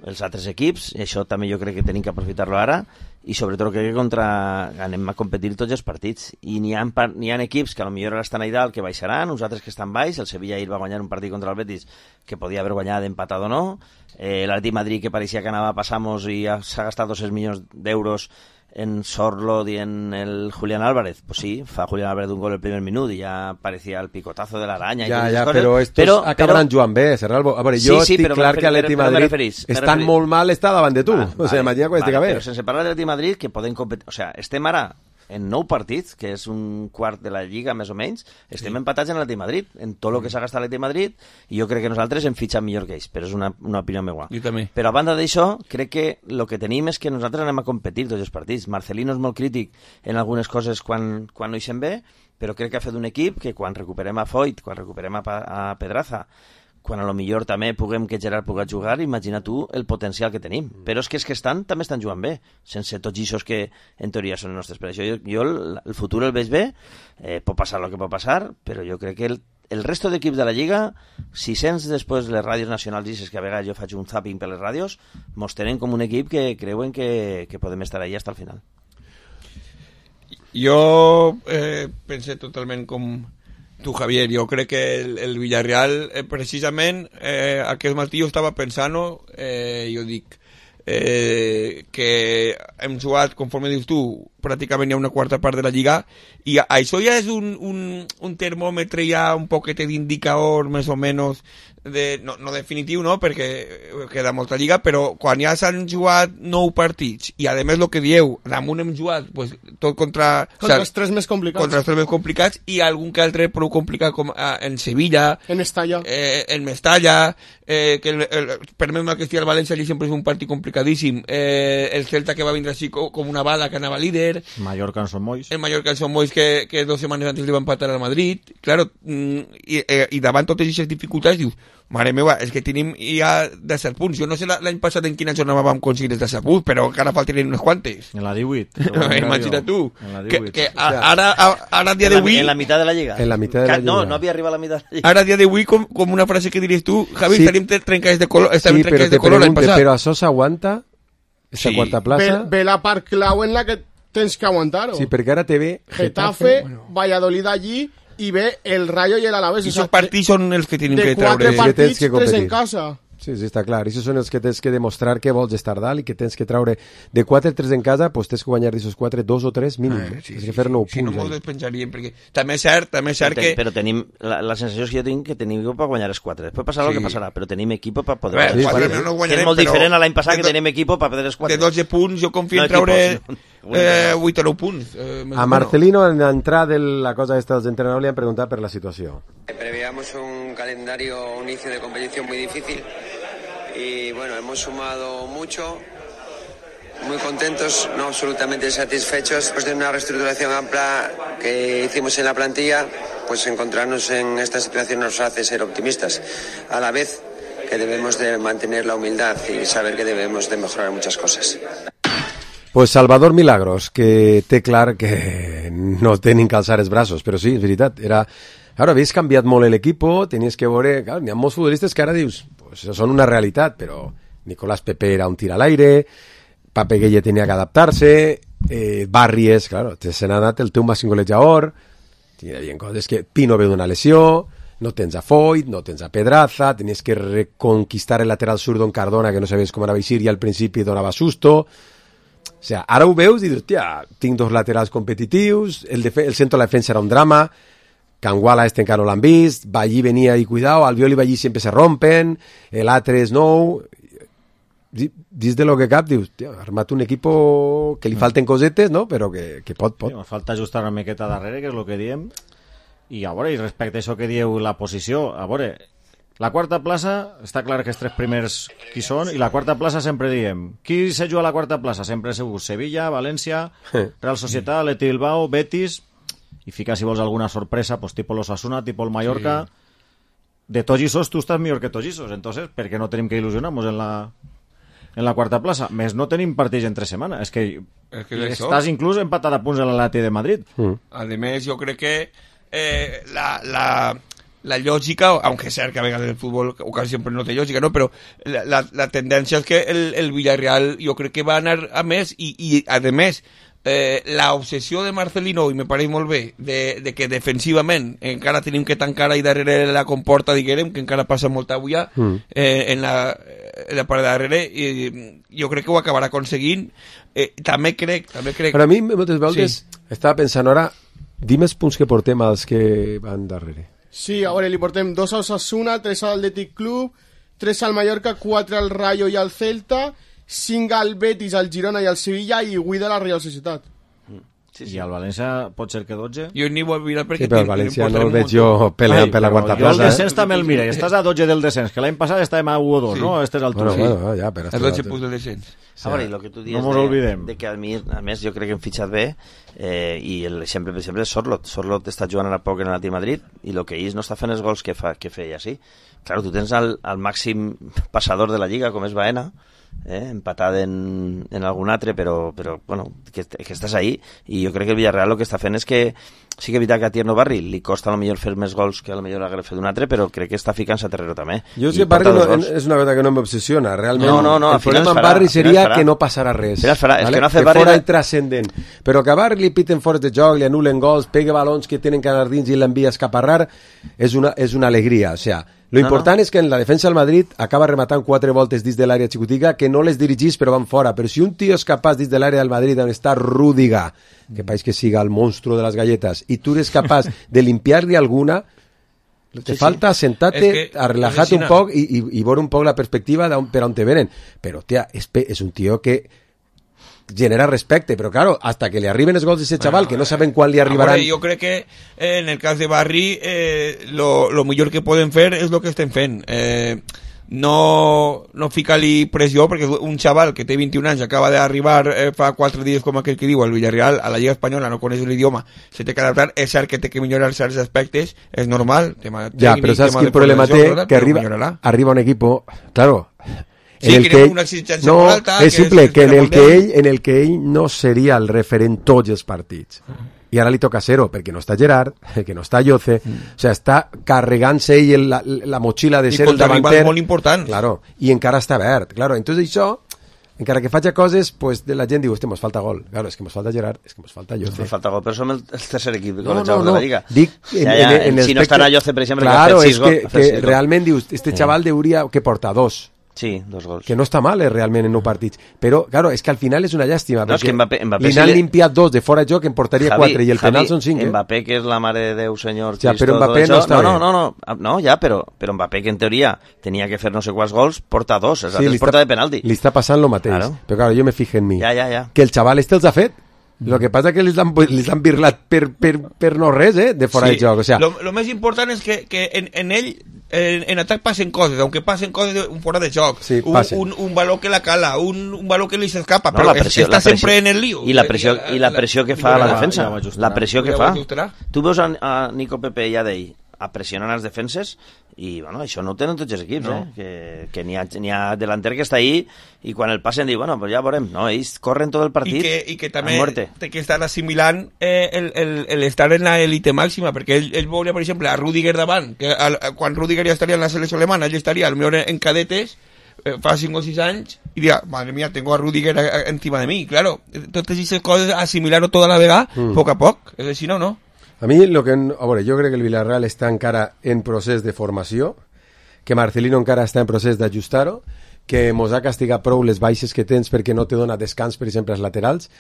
els altres equips, i això també jo crec que tenim que aprofitar-lo ara, i sobretot crec que anem a competir tots els partits, i n'hi ha equips que potser ara estan a dalt que baixaran, uns altres que estan baix, el Sevilla ahir va guanyar un partit contra el Betis que podia haver guanyat empatat o no, l'Atlètic Madrid que pareixia que anava a passar-nos i s'ha gastat 200 milions d'euros en Sorlot y en el Julián Álvarez. Pues sí, fa Julián Álvarez un gol el primer minuto y ya parecía el picotazo de la araña. Pero estos acabaran jugant bé, Serralbo. A veure, jo estic clar que l'Atlètic Madrid estan molt mal, està davant de tu. O sea, imagina quan estic a ver. Però sense parlar de l'Atlètic Madrid, que poden competir... O sea, estem ara en 9 partits, que és un quart de la Lliga, més o menys, estem empatats en l'Atlètic de Madrid, en tot el que s'ha gastat l'Atlètic de Madrid, i jo crec que nosaltres hem fitxat millor que ells, però és una opinió meva. Jo també. Però a banda d'això, crec que el que tenim és que nosaltres anem a competir tots els partits. Marcelino és molt crític en algunes coses quan no hi se'n bé, però crec que ha fet un equip que quan recuperem a Foyt, quan recuperem a Pedraza, quan a lo millor també puguem que Gerard pugui jugar, imagina tu el potencial que tenim. Però és que també estan jugant bé, sense tots ixos que en teoria són nostres. Per això jo el futur el veig bé, pot passar el que pot passar, però jo crec que el resto d'equips de la Lliga, si sents després les ràdios nacionals dices que a vegades jo faig un zapping per les ràdios, mos tenen com un equip que creuen que podem estar allà fins al final. Jo pensé totalment com tu, Javier. Jo crec que el Villarreal, precisament, aquest matí jo estava pensant-ho, jo dic que hem jugat, conforme dius tu, pràcticament hi ha una quarta part de la Lliga, i això ja és un termòmetre ja un poquet d'indicador més o menys no definitiu, no, perquè queda molta Lliga, però quan ja s'han jugat 9 partits i a més el que dieu, damunt hem jugat pues, tot contra els tres més complicats i algun que altre prou complicat com en Sevilla, en Mestalla, que permet-me que estigui al València, allí sempre és un partit complicadíssim, el Celta que va vindre així com una bala que anava líder, Mallorca en Son Moix, que 2 setmanes antes li va empatar al Madrid, claro, i davant totes aquestes dificultats dius, mare meva, és que tenim ja 17 punts. Jo no sé l'any passat en quina jornada vam aconseguir els 17 punts, però encara faltarien unes quantes. En la 18. Imagina't tu. Que ara dia d'avui... En la mitad de la Lliga. En la mitad de la Lliga. No havia arribat a la mitad de la Lliga. Ara dia d'avui, com una frase que diries tu, Javi, estaríem trencats de color l'any passat. Però això s'aguanta? Esta quarta plaça? Ve la part clau en la que tens que aguantar-ho. Sí, perquè ara te ve Getafe, Valladolid allí, i ve el Rayo i el Alavés. I aquests partits són els que tenim que treure. De 4 partits, 3 en casa. Sí, està clar. I són els que tens que demostrar que vols estar dalt i que tens que treure de 4 3 en casa, doncs tens que guanyar d'aquests 4, 2 o 3 mínim. Tens que fer 9 punts. Si no mos despenjaríem, perquè també és cert que... Però tenim, la sensació és que jo tinc que tenim equip per guanyar els 4. Després passarà el que passarà, però tenim equip per poder guanyar els 4. És molt diferent a l'any passat que tenim equip per poder els 4. De 12 punts jo confio en treure 8 o 9 punts. A Marcelino, en entrar de la cosa esta dels entrenadors, li han preguntat per la situació. Preveíamos un calendario, un inicio de competición muy difícil. Y bueno, hemos sumado mucho, muy contentos, no absolutamente satisfechos. Después de una reestructuración amplia que hicimos en la plantilla, pues encontrarnos en esta situación nos hace ser optimistas, a la vez que debemos de mantener la humildad y saber que debemos de mejorar muchas cosas. Pues Salvador Milagros, que té clar que no tenen que alçar els braços, però sí, és veritat, era... Ara, havies canviat molt l'equip, tenies que veure... Clar, n'hi ha molts futbolistes que ara dius, pues són una realitat, però Nicolás Pepe era un tir a l'aire, Pape Gueye tenia que adaptar-se, Barries, claro, se n'ha anat el teu màxim golejador, hi havia coses que Pino ve d'una lesió, no tens a Foyt, no tens a Pedraza, tenies que reconquistar el lateral sur d'on Cardona, que no sabies com anava a eixir, i al principi donava susto. O sigui, ara ho veus i dius, tia, tinc 2 laterals competitius, el centre de la defensa era un drama, Canguala encara no l'han vist, Ballí venia i cuidao, Albiol i Ballí sempre se rompen, l'altre és nou, dins de lo que cap dius, tia, ha armat un equip que li falten cosetes, no? Però que pot. Sí, falta ajustar una miqueta darrere, que és el que diem, i a veure, i respecte a això que dieu la posició, a veure, la quarta plaça, està clar que els 3 primers qui són, i la quarta plaça sempre diem, qui se juga a la quarta plaça? Sempre ha sigut Sevilla, València, Real Societat, Atleti Bilbao, Betis, i fica, si vols, alguna sorpresa, pues tipo l'Osasuna, tipo el Mallorca. Sí. De tots esos, tu estàs millor que tots esos, entonces, ¿per qué no tenim que il·lusionar-nos en la quarta plaça? Més no tenim partits entre setmana, és que estàs inclús empatat a punts en l'Atleti de Madrid. A més, jo crec que la lògica, aunque és cert que a vegades el futbol o quasi sempre no té lògica, no? Però la tendència és que el Villarreal jo crec que va anar a més i a més la obsessió de Marcelino, i me pareix molt bé, de que defensivament encara tenim que tancar ahí darrere la comporta, diguem, que encara passa molta agulla en la part de darrere, i jo crec que ho acabarà aconseguint. També crec... Per a mi, moltes vegades, estava pensant ara, dime els punts que portem als que van darrere. Sí, a veure, li portem 2 a Osasuna, 3 al Athletic Club, 3 al Mallorca, 4 al Rayo i al Celta, 5 al Betis, al Girona i al Sevilla, i 8 a la Real Societat. I el València pot ser que 12. Jo ni vull mirar perquè... Sí, però el València no el veig jo peleant per la quarta plaça. Jo el descens també el mira, i estàs a 12 del descens, que l'any passat estàvem a 1 o 2, Sí. no? A aquestes altures. Bueno, ja, però... A 12 punts de descens. A veure, i el que tu dius no mos olvidem. de que a més jo crec que hem fitxat bé, i l'exemple, per exemple, és Sorloth. Sorloth està jugant ara poc en l'Atlètic Madrid i el que ells no està fent els gols que feia, sí. Claro, tu tens el màxim passador de la Lliga, com és Baena, empatat en algun altre, però bueno, que estàs ahí, i jo crec que el Villarreal el que està fent és que sí que és veritat que a Tierno Barri li costa a lo millor fer més gols que a lo millor hagués fet un altre, però crec que està ficant-se a terreno també. Jo és que Barri és una cosa que no m'obsessiona, realment. No, el problema amb Barri seria que no passarà res. És que no ha fet Barri fora intrascendent. Però que a Barri li piten fora de joc, li anulen gols, pega balons que tenen que anar dins i l'envia a escaparrar, és una alegria, o sea, lo important és que en la defensa del Madrid acaba rematant 4 voltes dins de l'àrea xicotica que no les dirigís però van fora, però si un tio és capaç dins de l'àrea del Madrid on està Rüdiger, que pareix que siga el monstruo de les galletes, i tu eres capaç de limpiar-li alguna, te falta sentar-te a relajar-te un poc i veure un poc la perspectiva per on te venen, però tia, és un tio que genera respecte, però claro, hasta que le arriben els gols de ese chaval, que no saben quan li arribaran. Jo crec que en el cas de Barri lo millor que poden fer és el que estem fent. No ficar-li pressió, perquè un xaval que té 21 anys acaba d'arribar fa 4 dies, com aquell que diu, al Villarreal, a la Lliga Espanyola, no coneix l'idioma, se té que adaptar, és cert que té que millorar certs aspectes, és normal, tema tècnic, ja, però saps quin problema té? Que arriba un equipo, claro, sí, en el que una exigència molt alta, és simple, que en el que ell no seria el referent tots els partits. I ara li toca ser-ho, perquè no està Gerard, que no està Lloce, o sigui, està carregant-se ell la motxilla de ser el davanter. I molt important. Claro, i encara està verd. Claro, entonces això, encara que faci coses, pues la gent diu, mos falta gol. Claro, és que mos falta Gerard, és que mos falta Lloce. Mos falta gol, però som el tercer equip no, de la Lliga. Dic, si no estarà Lloce, per exemple, claro, és que realment dius, este xaval hauria que portar 2. Sí, 2 gols. Que no està mal, realment, en 9 partits. Però, claro, és que al final és una llàstima, no, perquè Mbappé li n'han limpiat 2 de fora de joc, en portaria 4, i el penal són 5. Mbappé, que és la mare de Déu, senyor... Ja, però Mbappé no està bé. No, ja, però Mbappé, que en teoria tenia que fer no sé quants gols, porta 2, els altres porta de penalti. Li està passant el mateix. Claro. Però, claro, jo me fijo en mi. Ja. Que el xaval els ha fet. Lo que passa que les han birlat per no res, de fora de joc. O sea, lo més important és que en ell en atac passen coses, aunque passen coses fora de joc, sí, un valor que la cala, un valor que li s'escapa, però està sempre en el lío. I la pressió que fa a la defensa, la pressió que fa. Tu veus a Nico Pepe i a Dei a pressionar les defenses i bueno, això no ho tenen tots els equips, que n'hi ha delanter que està ahí i quan el passen diu, bueno, pues ja veurem, no, ells corren tot el partit i que també té que estar assimilant l'estar en l'elite màxima, perquè ell veuria, per exemple, a Rüdiger davant, que quan Rüdiger ja estaria en la selecció alemana, ell estaria potser en cadetes fa 5 o 6 anys i diria, madre mía, tengo a Rüdiger encima de mi, claro, totes aquestes coses assimilar-ho tota la vegada, poc a poc, és així, no? A mi, jo crec que el Villarreal està encara en procés de formació, que Marcelino encara està en procés d'ajustar-ho, que mos ha castigat prou les baixes que tens perquè no te dona descans, per exemple, als laterals,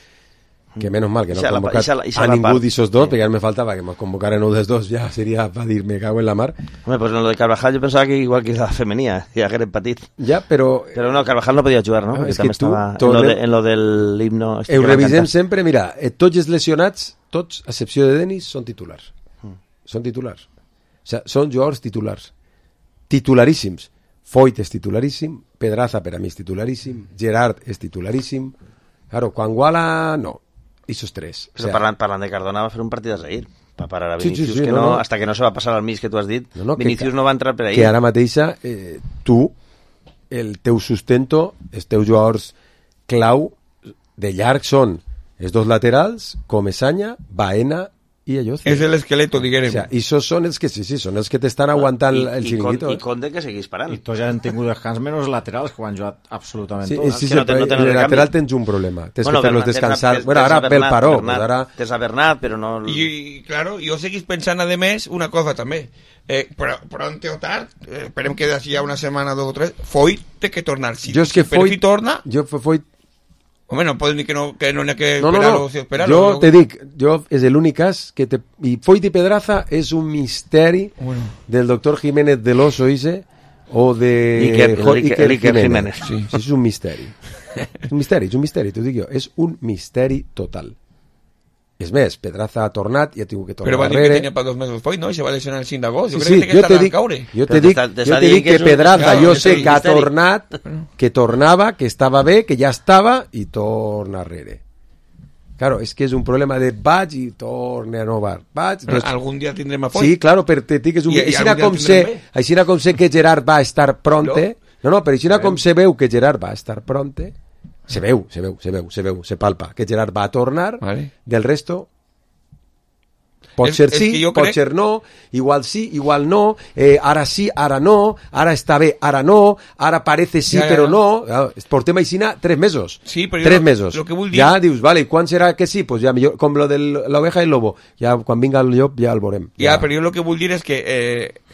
que menys mal que no ha convocat a ningú d'aquests dos, perquè ara me faltava que mos convocaren un dels dos, ja seria per dir, me cago en la mar. Home, pues en lo de Carvajal jo pensava que igual que la femenina, ja hagués patit. Ja, però no, Carvajal no podia jugar, no? Perquè també estava en lo del himno. Ho revisem sempre, mira, tots els lesionats, tots, a excepció de Denis, són titulars. Són titulars. O sigui, són jugadors titulars. Titularíssims. Foyt és titularíssim, Pedraza per a mi és titularíssim, Gerard és titularíssim. Claro, quan Guala, no. Ixos 3. Però parlant de Cardona va fer un partit a Zahir. Va parar a Vinicius, que no, hasta que no se va passar al mig que tu has dit, Vinicius no va entrar per ahí. Que ara mateixa, tu, el teu sustento, els teus jugadors clau de llarg són els dos laterals, Comesaña, Baena i Ayoce. És l'esqueleto, diguem. O sea, esos són els que són els que t'estan aguantant el xiringuito. I Conde que seguís parant. I tots ja han tingut descans menys laterals que ho han jugat absolutament tots. Sí, el lateral tens un problema. Tens que fer-los descansar. Bueno, ara pel paró. Tens a Bernat, però no... I, claro, jo seguís pensant, a més, una cosa també. Però pronto o tard, esperem que d'ací a una setmana, 2 o 3, Foyt té que tornar. Si Foyt torna... Foyt... Home, no poden dir que no n'hi ha que esperar-lo. Jo te dic, és l'únic cas que i Foyt i Pedraza és un misteri del doctor Jiménez del Oso o de Iker Jiménez. Sí, és un misteri. És un misteri, t'ho dic jo. És un misteri total. És més, Pedraza ha tornat i ha tingut que tornar Però va dir darrere. que tenia per 2 mesos poi, no? I se va lesionar el 5 d'agost. Jo Sí, crec que jo estarà a caure. Jo te dic que Pedraza, jo sé que ha tornat, que tornava, que estava bé, que ja estava i torna darrere. Claro, és que és un problema de vaig i torna a no va. Vaig, Però algun dia tindrem a Foyt. Sí, claro, però te dic que és un... Així com sé que Gerard va estar pronte... No, però així com se veu que Gerard va estar pronte, se veu, se palpa, que Gerard va a tornar, del resto... Pot ser sí, pot ser no, igual sí, igual no, ara sí, ara no, ara està bé, ara no, ara parece sí, però no. Portem així 3 mesos. Sí, però 3 mesos. Lo que vull dir... Ja dius, vale, quan serà que sí? Pues ja millor, com lo de l'oveja i el lobo. Ja quan vinga el llop ja el veurem. Ja, però jo el que vull dir és que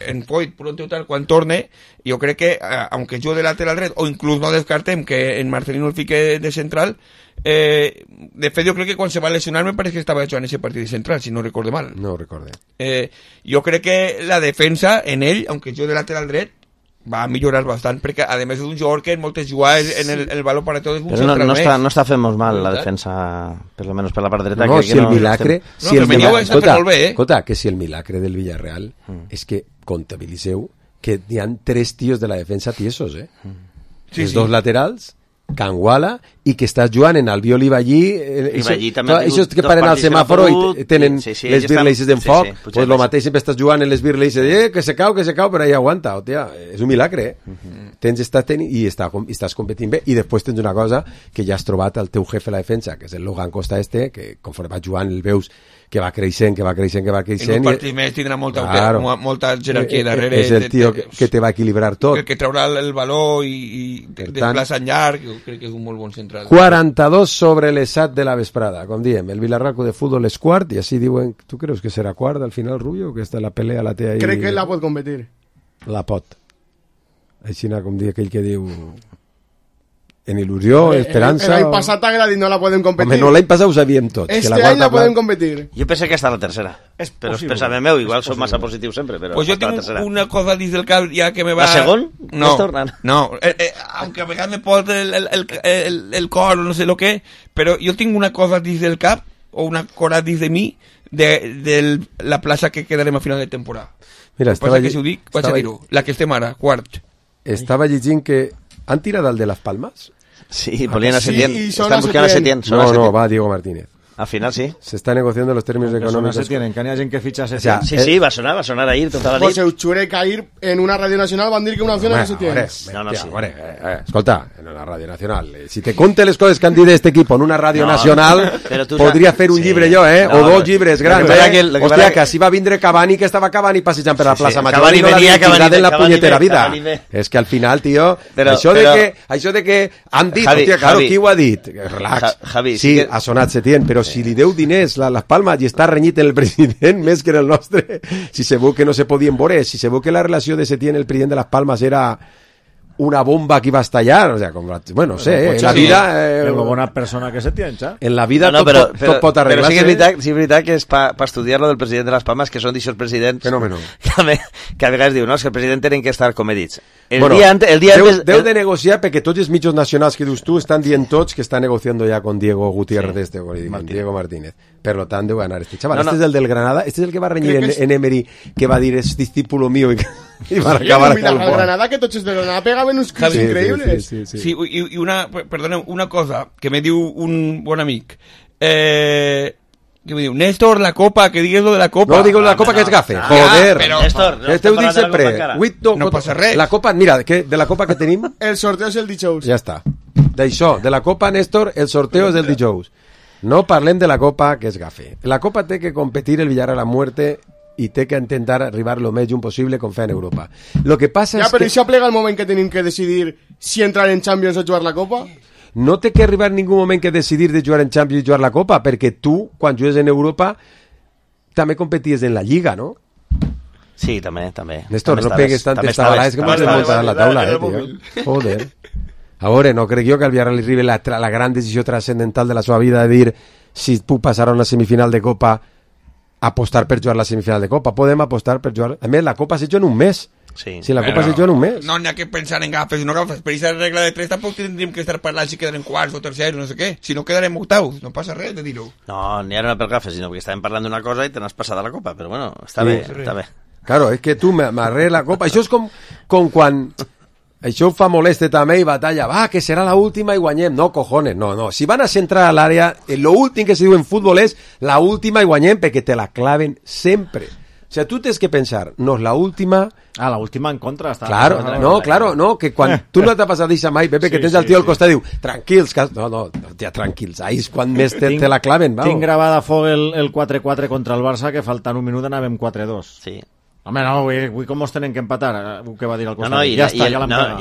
en Foyt, pronto o tal, quan torne, jo crec que, aunque jo de lateral dret, o inclús no descartem que en Marcelino el fique de central, de fet jo crec que quan se va lesionar me parece que estava jugant ese partit de central, si no recorde mal. No ho recorde. Jo crec que la defensa en ell, aunque jo de lateral dret, va millorar bastant, perquè a més és un jugador que en moltes jugades en el valor para tot és un central més. No està fent molt mal la defensa, per almenys per la part dreta. No, si el milagre... Escolta, que si el milagre del Villarreal és que comptabilitzeu que hi ha 3 tios de la defensa tiesos, els 2 laterals, Canguala, i que estàs jugant en Albiol i Ballí, això que paren al semàforo i tenen les birleises d'enfoc, pues lo mateix sempre estàs jugant en les birleises, que se cau, però ahí aguanta, hòstia, és un milagre, i estàs competint bé, i després tens una cosa que ja has trobat el teu jefe a la defensa, que és el Logan Costa que conforme va jugant el veus que va creixent. En un partit més tindrà molta jerarquia darrere. És el tio que te va equilibrar tot. El que traurà el valor i desplaça en llarg, jo crec que és un molt bon central. 42 sobre les 7 de la vesprada, com diem, el Vilarraco de fútbol és quart, i així diuen, tu creus que serà quart al final, Rubio, que esta la pelea la té ahí? Crec que la pot competir. La pot. Així com dir aquell que diu... En il·lusió, esperança... L'any passat t'agradi, no la podem competir. Home, no, l'any passat ho sabíem tots. Este any la podem competir. Jo penso que està la tercera. Però és pensament meu, igual som massa positiu sempre, però pues jo tinc una cosa dins del cap ja que me va... La segon? No, aunque a vegades me pot el cor o no sé lo que, però jo tinc una cosa dins del cap, o una cora dins de mi, de la plaça que quedarem a final de temporada. Mira, passa que si ho dic, vaig a dir-ho. La que estem ara, quart. Estava llegint que han tirat el de les Palmes? Sí, volien a Setién. Están buscando a Setién. No, va Diego Martínez. Al final sí. Se está negociando los términos económicos. Setién, que n'hi ha gent que fitxa Setién. Sí, va sonar ahir tota la nit. Pues Euchure Cair en una radio nacional van dir que una opció era Setién. Escolta, en una radio nacional. Si te conté les coses que han dit este equipo en una radio nacional, podria fer un llibre jo, o 2 llibres grans. Hòstia, que així va vindre Cavani, que estava Cavani passejant per la plaça Major i no l'havia tirat en la punyetera vida. És que al final, tio, això de que han dit, hòstia, claro, qui ho ha dit? Relax. Sí, ha sonat Setién, però si li deu diners les Palmes i està renyit en el president més que en el nostre, si se veu que no se podien veure, si se veu que la relació de Setién el president de les Palmes era una bomba que iba a estallar, o sea, bueno, no sé, en la vida... Una bona persona que Setién, xa. En la vida tot pot arreglar-se. Però sí que és veritat que és per estudiar lo del president de les Palmes, que són d'aixòs presidents... Fenómeno. Que a vegades diu, no, és que el president tenen que estar comedits. Deu de negociar perquè tots els mitjos nacionals que dius tu estan dient tots que està negociant ja con Diego Gutiérrez, Diego Martínez. Per lo tant, deu anar este chaval. Este és el del Granada, este és el que va renyir en Emery, que va dir, és discípulo mío i va acabar a el Granada, que tots els de Granada pegaven uns clips increïbles. Sí, i una cosa que me diu un bon amic, que me diu, Néstor, la copa, que digues lo de la copa. No, digo la copa que és gafe. Joder. Néstor, este ho dic sempre. No passa res. La copa, mira, de la copa que tenim... El sorteo és el dijous. Ja està. D'això, de la copa, Néstor, el sorteo és el dijous. No parlem de la copa, que és gafe. La copa té que competir el Villarreal a muerte i té que intentar arribar lo més junt possible con fe en Europa. Lo que passa és que... Ja, però això plega el moment que tenim que decidir si entrar en Champions o jugar la copa? No té que arribar ningú moment que decidir de jugar en Champions i jugar la copa, perquè tu, quan jugues en Europa, també competies en la Lliga, no? Sí, també. Néstor, no pegues tantes tabalades que m'has desmuntat la taula, tio. Joder. A veure, no crec jo que al Villarreal li arribi la gran decisió transcendental de la seva vida de dir si puc passar a una semifinal de Copa, apostar per jugar la semifinal de Copa. Podem apostar per jugar... A més, la Copa s'ha hecho en un mes. Sí. Si la Copa se juga en un mes. No n'hi ha que pensar en gafes i no gafes. Per aquesta regla de 3 tampoc tindríem que estar parlant si quedarem quarts o tercers o no sé què. Si no quedarem octaus, no passa res de dir-ho. No, ni ara no per gafes, sinó que estàvem parlant d'una cosa i te n'has passat a la Copa, però bueno, està bé, està bé. Claro, és que tu m'arrés la Copa. Això és com quan... Això fa moleste també i batalla. Va, que serà la última i guanyem. No, cojones, no. Si van a centrar a l'àrea, lo últim que se diu en futbol és la última i guanyem perquè te la claven sempre. O sea, tú tienes que pensar, no, la última... Ah, la última en contra. Claro, que quan tu no t'ha passat això mai, Pepe, que tens el tio al costat i diu, tranquils, tranquils, ahí és quan més te la claven, va. Tinc gravada a foc el 4-4 contra el Barça, que faltant un minut anàvem 4-2. Sí. Home, no, avui com ens tenen que empatar, que va dir al costat.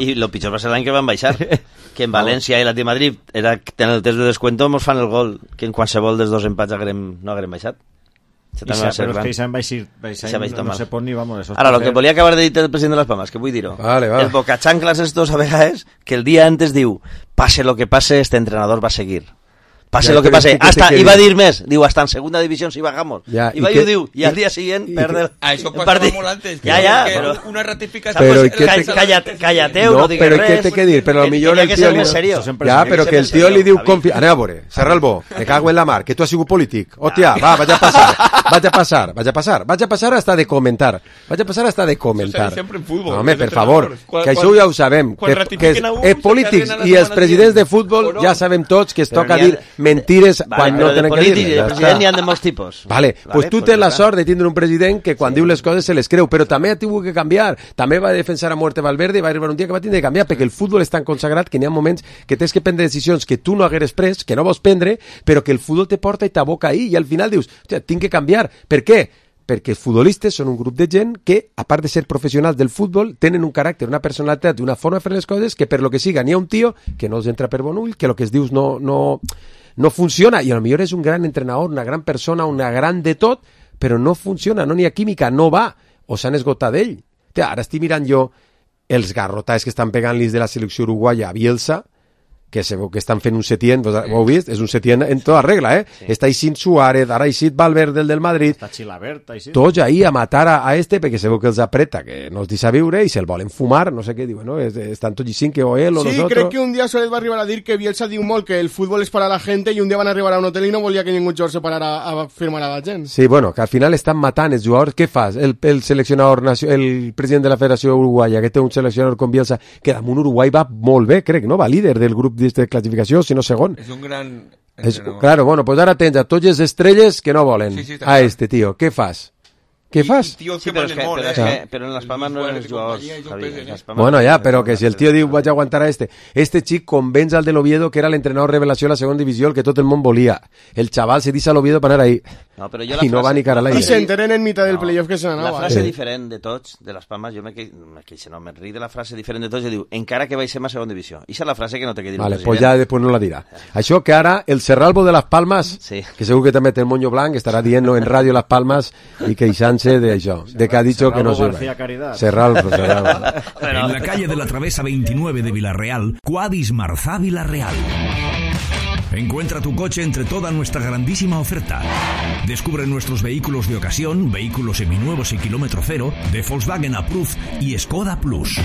I lo pitjor va ser l'any que van baixar, que en València i l'Atlètic Madrid era que en el test de descuento mos fan el gol, que en qualsevol dels dos empats no haguem baixat. Però és que s'han baixat, no se pot ni, vamos. Ara, lo que volia acabar de dir el president de les Palmas, que vull dir-ho. Vale. El bocachanclas estos a vegades, que el dia antes diu, pase lo que pase, este entrenador va a seguir. Pase lo que pase, iba a dir més, diu, hasta en segunda división si bajamos. Iba i ho diu, i al dia siguient perde això passava molt antes. Però una ratificació. Callateu, no digues res. Però què té que dir? Però millor el tio... Ja, però que el tio li diu... Anem a veure, Serralbo, me cago en la mar, que tu has sigut polític. Hòstia, va, vaig a passar hasta de comentar. Sempre en futbol. Home, per favor, que això ja ho sabem, que els polítics i els presidents de futbol ja sabem tots que es toca dir mentires quan no tenen que dir-les. De president n'hi ha de molts tipus. Vale, pues tu tens la sort de tindre un president que quan diu les coses se les creu, però també ha tingut que canviar. També va defensar a muerte Valverde i va arribar un dia que va tindre que canviar, perquè el futbol és tan consagrat que n'hi ha moments que tens que prendre decisions que tu no hagueres pres, que no vols prendre, però que el futbol te porta i t'aboca ahí, i al final dius, hòstia, tinc que canviar. Per què? Perquè els futbolistes són un grup de gent que, a part de ser professionals del futbol, tenen un caràcter, una personalitat, una forma de fer les coses que per lo que siga n'hi ha un tio que no els entra per bon ull, que el que es dius no funciona, i a lo millor és un gran entrenador, una gran persona, una gran de tot, però no funciona, no n'hi ha química, no va, o s'han esgotat d'ell. Ara estic mirant jo els garrotats que estan pegant-los de la selecció uruguaya a Bielsa, que se veu que estan fent un Setién, ho heu vist? És un Setién en tota regla, Sí. Està eixint Suárez, ara eixit Valverde, el del Madrid. Està Chilabert, eixint. Tots ahí a matar a este, perquè se veu que els apreta, que no els deixa viure, i se'l volen fumar, no sé què diuen, ¿no? Estan tots eixint que o él o sí, nosotros. Sí, crec que un dia Suárez va arribar a dir que Bielsa diu molt que el futbol és per a la gent i un dia van arribar a un hotel i no volia que ningú jugador se parara a firmar a la gent. Sí, bueno, que al final estan matant els jugadors. Què fas? El seleccionador, el president de la Federació Uruguaya, que té un seleccionador com Bielsa, que damunt Uruguai va molt bé, crec, no? Va líder del grup de classificació, si no segon. És un gran entrenador. Claro, bueno, pues ara tens a tots les estrelles que no volen a este tio. Què fas? Què fas? Sí, però en les Palmes no eren els jugadors. Bueno, ja, però que si el tio diu vaig a aguantar a este xic convenç al de l'Oviedo que era l'entrenador revelació a la segona divisió, el que tot el món volia. El xaval se deixa a l'Oviedo per anar ahí. I no va ni cara a l'aire. I se enteren en mitad del playoff que se n'anava. La frase diferent de tots, de les Palmes, jo me ric de la frase diferent de tots, i diu, encara que baixem a segona divisió. Ixa és la frase que no té que dir el president. Pues ja després no la dirà. Això que ara el Serralbo de les Palmes, que segur que també té el moño blanc, estarà dient en ràdio les Palmes i queixant-se d'això, de que ha dicho que no sirve. Serralbo. En la calle de la Travesa 29 de Villarreal, Quadis Marzá Villarreal. Encuentra tu coche entre toda nuestra grandísima oferta. Descubre nuestros vehículos de ocasión, vehículos seminuevos y kilómetro cero, de Volkswagen Approved y Skoda Plus.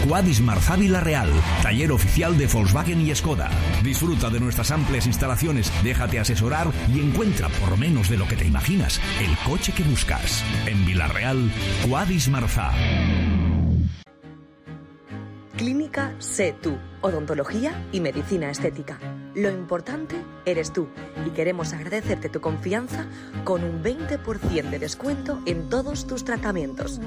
Quadis Marzá Villarreal, taller oficial de Volkswagen y Skoda. Disfruta de nuestras amplias instalaciones, déjate asesorar y encuentra, por menos de lo que te imaginas, el coche que buscas. En Villarreal, Quadis Marzá. Clínica Sé Tú, odontología y medicina estética. Lo importante eres tú y queremos agradecerte tu confianza con un 20% de descuento en todos tus tratamientos.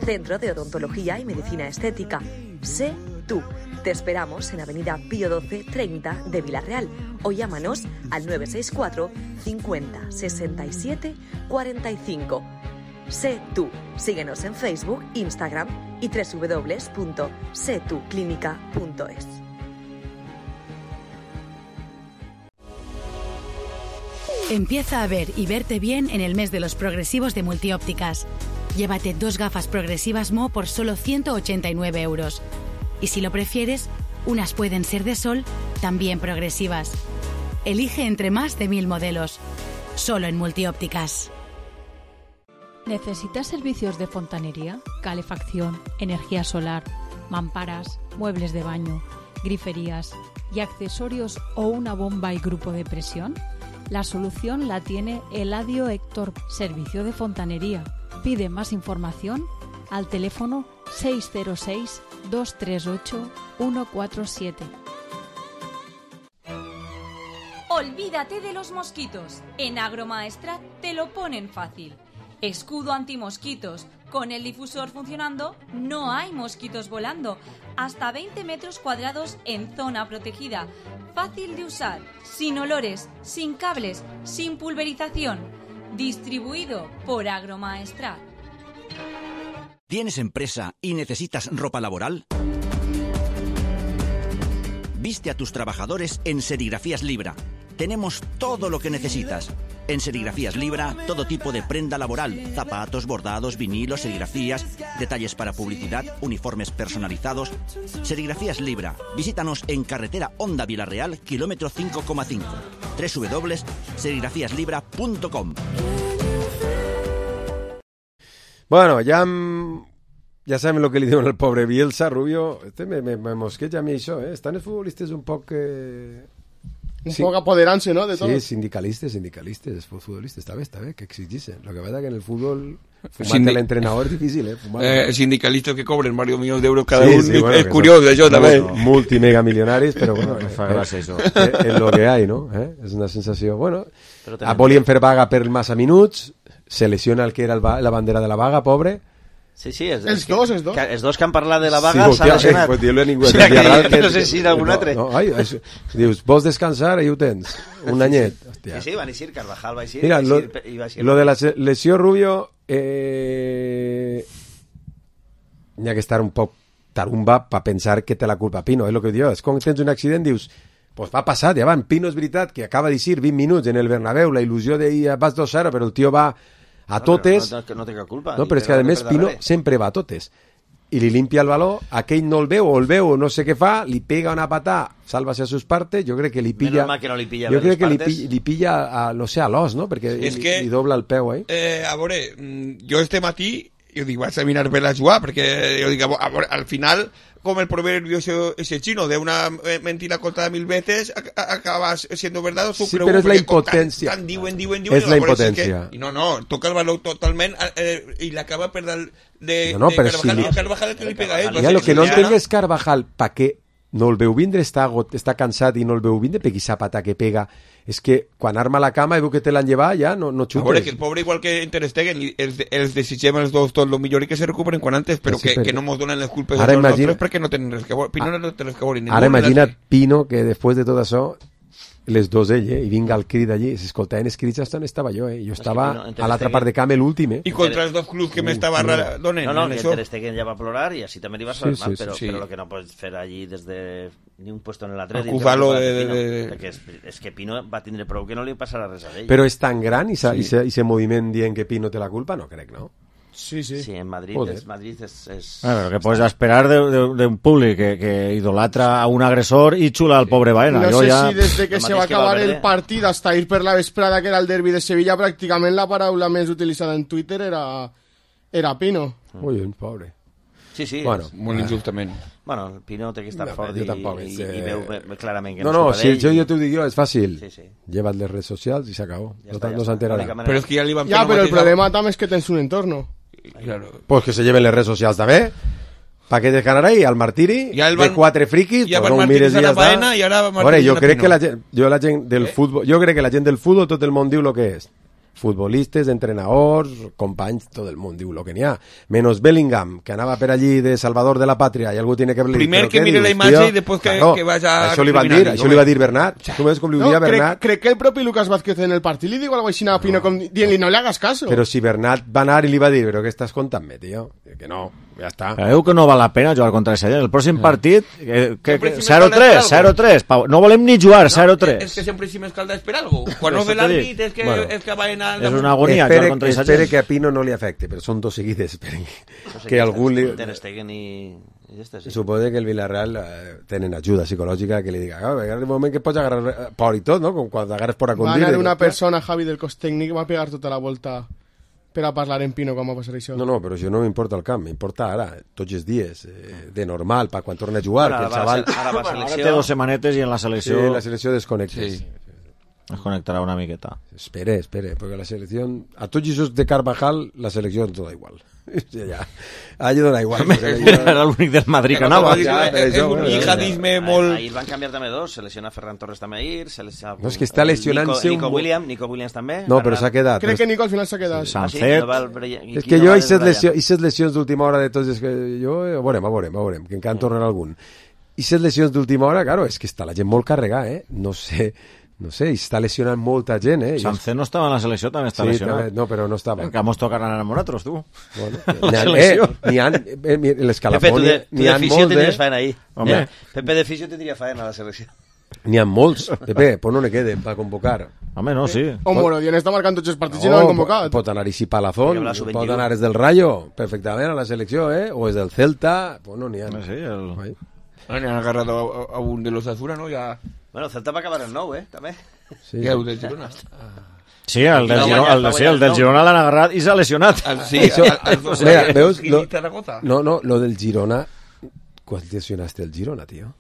Centro de Odontología y Medicina Estética. Sé Tú. Te esperamos en Avenida Pío 12 30 de Villarreal o llámanos al 964 50 67 45. Sé Tú. Síguenos en Facebook, Instagram y www.setuclínica.es. Empieza a ver y verte bien en el mes de los progresivos de Multiópticas. Llévate 2 gafas progresivas Mo por solo 189 euros. Y si lo prefieres, unas pueden ser de sol, también progresivas. Elige entre más de 1000 modelos. Solo en Multiópticas. ¿Necesitas servicios de fontanería, calefacción, energía solar, mamparas, muebles de baño, griferías y accesorios o una bomba y grupo de presión? La solución la tiene Eladio Héctor, servicio de fontanería. Pide más información al teléfono 606-238-147. Olvídate de los mosquitos. En Agromaestrat te lo ponen fácil. Escudo antimosquitos. Con el difusor funcionando, no hay mosquitos volando. Hasta 20 metros cuadrados en zona protegida. Fácil de usar, sin olores, sin cables, sin pulverización. Distribuido por Agromaestrat. ¿Tienes empresa y necesitas ropa laboral? Viste a tus trabajadores en Serigrafías Libra. Tenemos todo lo que necesitas. En Serigrafías Libra, todo tipo de prenda laboral, zapatos, bordados, vinilos, serigrafías, detalles para publicidad, uniformes personalizados. Serigrafías Libra. Visítanos en carretera Honda Vilarreal, kilómetro 5,5. www.serigrafíaslibra.com. Bueno, ya saben lo que le diuen al pobre Bielsa, Rubio. Me mosqueja a mi això, eh? Estan els futbolistes un poc... poc apoderant-se, no?, de tot. Sí, sindicalistes, els futbolistes. Està bé, que exigixen. Lo que pasa que en el fútbol fumar-te l'entrenador és difícil, sindicalistes que cobren varios millones d'euros cada un. Bueno, és curiós, això també. Multimegamilionaris, però bueno, és lo que hay, no? És una sensació... Bueno, volien fer vaga per massa minuts, se lesiona el que era la bandera de la vaga, pobre. Sí, els dos que han parlat de la vaga s'han lesionat. Pues dir-lo a ningú. No sé si d'algun altre. Dius, vols descansar? Ahí ho tens. Un anyet. Sí, van eixir, Carvajal va eixir. Mira, lo de la lesió, Rubio, n'hi ha que estar un poc tarumba per pensar que té la culpa Pino. És el que diu. És quan tens un accident, dius, pues va passar, ja van. Pino és veritat que acaba d'eixir 20 minuts en el Bernabéu, la il·lusió d'ahir vas 2-0, però el tio va a totes. No té cap culpa. No, però és que a més Pino sempre va a totes. I li limpia el baló, aquell no el veu, o el veu, o no sé què fa, li pega una patà, salva-se a sus partes, jo crec que li pilla... Que no li pilla jo crec que li pilla, no sé, a l'os, no? Perquè li dobla el peu, a veure, jo este matí, jo dic, vaig a mirar bé la jugada, perquè jo dic, a veure, al final... como el proverbio ese chino, de una mentira contada 1000 veces acaba siendo verdad. Sí, pero es la impotencia. Es la impotencia. Y no, toca el balón totalmente y le acaba perder de pero Carvajal que le pega a él. Ya, lo que no entenc és Carvajal, pa què no el veu vindre, està cansat i no el veu vindre, perquè aquesta pata que pega és que quan arma la cama i veu que te l'han llevat ja no xutes. A veure, que el pobre igual que Ter Stegen els desitgem els dos tot lo millor i que se recuperen quan antes, però que no mos donen les culpes als nostres perquè no tenen res que veure. Pino no té res que veure. Ara imagina't Pino que després de tot això les dos ell, i vinga el crit allí, s'escoltaven els crits on estava jo, jo estava a l'altra part de camp l'últim, I contra els dos clubs que m'estava donant. No, que Ter Stegen ja va plorar i així també li va sonar mal, però lo que no pots fer allí des de ni un puesto en el altre, perquè és que Pino va tindre prou que no li passarà res a ell. Però és tan gran i se moviment dient que Pino té la culpa? No crec, no? Sí, en Madrid es... Pero que puedes esperar de un público que idolatra a un agresor y chula al pobre Baena. No sé si desde que se va a acabar el partido hasta ir per la vesprada, que era el derbi de Sevilla, prácticamente la paraula més utilitzada en Twitter era Pino. Muy bien, pobre. Sí, bueno, molt injustament. Bueno, el Pino té que estar fort i veu clarament que no si jo t'ho dic jo, és fàcil. Lleva't les redes socials i s'acabó. No s'enterarà. Però és que ja li van però el problema també és que tens un entorno. Claro. Pues que se lleven les redes socials també. Pa que dejan ahí al martiri de quatre friquis, pues no mires i ja està. Bueno, jo crec que la gent del futbol, jo crec que la gent del futbol tot el món diu el que és. Futbolistes, entrenadors, companys, tot el món diu el que n'hi ha. Menos Bellingham, que anava per allí de Salvador de la Pàtria i algú tiene que... Primer que mire la imatge i després que vaya... Això li va dir Bernat. Tu ves com li ho dia Bernat? Crec que el propi Lucas Vázquez en el partit li diu algo així a Pino, dient-li no le hagas caso. Però si Bernat va anar i li va dir, però què estàs contant-me, tio? Que no, ja està. Creu que no val la pena jugar contra ese gent. El pròxim partit, 0-3, no volem ni jugar, 0-3. És que sempre si m'escalda és per algo. Quan no ve l'àrbit és que va anar... És una agonia. Espere que a Pino no li afecte, però són dos seguides. Que algú li... Suposo que el Villarreal tenen ajuda psicològica que li diga, en el moment que pots agarrar por i tot, no? Com quan agarres por a conduir. Va anar una persona, Javi, del cos tècnic, va pegar tota la volta per a parlar en Pino quan va passar això. No, però això no m'importa el camp, m'importa ara, tots els dies, de normal, per quan torna a jugar, que el xaval... Ara té 2 setmanetes i en la selecció... Sí, la selecció desconnectes. Sí. Es conectarà una miqueta. Espere, perquè la selecció... A tots els de Carvajal, la selecció ens dona igual. Ja, allà dona igual. Era l'únic del Madrid que anava. És un jihadisme molt... Ahir van canviar també 2, se lesiona Ferran Torres també ahir, no, és que està lesionant-se Nico Williams també. No, però s'ha quedat. Crec que Nico al final s'ha quedat. Sancet. És que jo aquestes lesions d'última hora de tots, és que jo, a veurem, que encara en tornarà algun. Aquestes lesions d'última hora, claro, és que està la gent molt carregada, no sé, està lesionant molta gent, Sancet no estava en la selecció, també està lesionat. També, no, però no estava. Que mos tocaran a nosaltres, tu. N'hi ha l'escalafón, n'hi ha molts, tindries faena ahí. Pepe de Fisio tindria faena a la selecció. N'hi ha molts, Pepe, pues no ne queden per convocar. Home, no, sí. O Morodion està marcant tots els partits i no l'han convocat. Pot anar a Palazón, pot anar des del Rayo, perfectament a la selecció, o és del Celta, pues no n'hi ha. Sí, n'hi han agarrat a un de los Azura, no? Ja... Bueno, Celta va acabar el 9, també. Sí. Què, el del Girona? Sí, el del Girona l'han agarrat i s'ha lesionat. Sí, mira, veus? No, lo del Girona... ¿Cuál lesionaste el Girona, tío?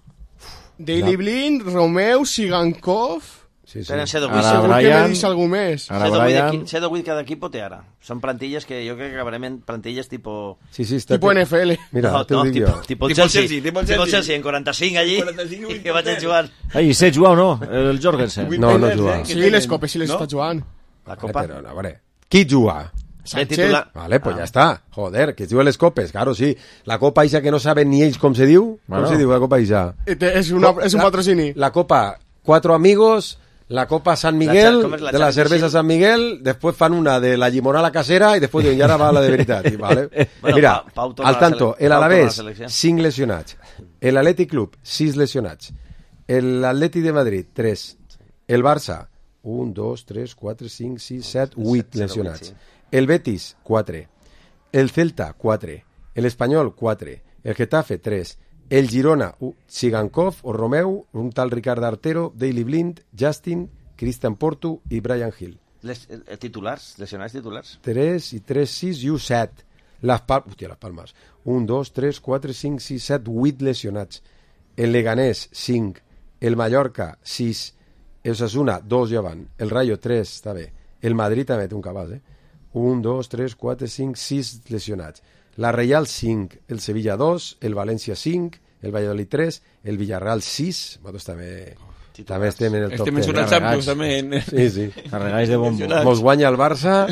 Daily Blind, Romeu, Sigankov... Sí. Segur que me dius algú més. Sé de 8 cada equip té ara. Són plantilles que jo crec que acabarem en plantilles tipo... Tipo NFL. Mira, te ho dic jo. Tipo Chelsea, en 45 allí, i que vaig jugant. I sé jugar o no, el Jorgensen? No juga. Sí, les copes sí les està jugant. La copa? Però, a veure, qui juga? Sánchez. Vale, pues ya está. Joder, que juga les copes, claro, sí. La copa isa que no saben ni ells com se diu. Com se diu la copa isa? És un patrocini. La copa, 4 amigos... La Copa San Miguel, de la cerveza San Miguel, después fan una de la limonada casera y después diuen, ya va la de veritat. ¿Vale? Bueno, mira, al tanto, el Alavés, 5 lesionats. El Atlètic Club, 6 lesionats. El Atlètic de Madrid, 3. El Barça, 1, 2, 3, 4, 5, 6, 7, 8 lesionats. El Betis, 4. El Celta, 4. El Espanyol, 4. El Getafe, 3. El Girona, Sigankov o Romeu, un tal Ricard Artero, Daily Blind, Justin, Christian Porto i Brian Hill. Titulars, lesionats titulars. 3 i 3, 6 i 1, 7. Les Palmes. 1, 2, 3, 4, 5, 6, 7, 8 lesionats. El Leganés, 5. El Mallorca, 6. El Osasuna, 2 ja van. El Rayo, 3, està bé. El Madrid també té un cabàs, 1, 2, 3, 4, 5, 6 lesionats. La Real 5, el Sevilla 2, el València 5, el Valladolid 3, el Villarreal 6, nosaltres també estem en el top 10. Estem en una Champions també. Sí. Carregats de bombo. Mos guanya el Barça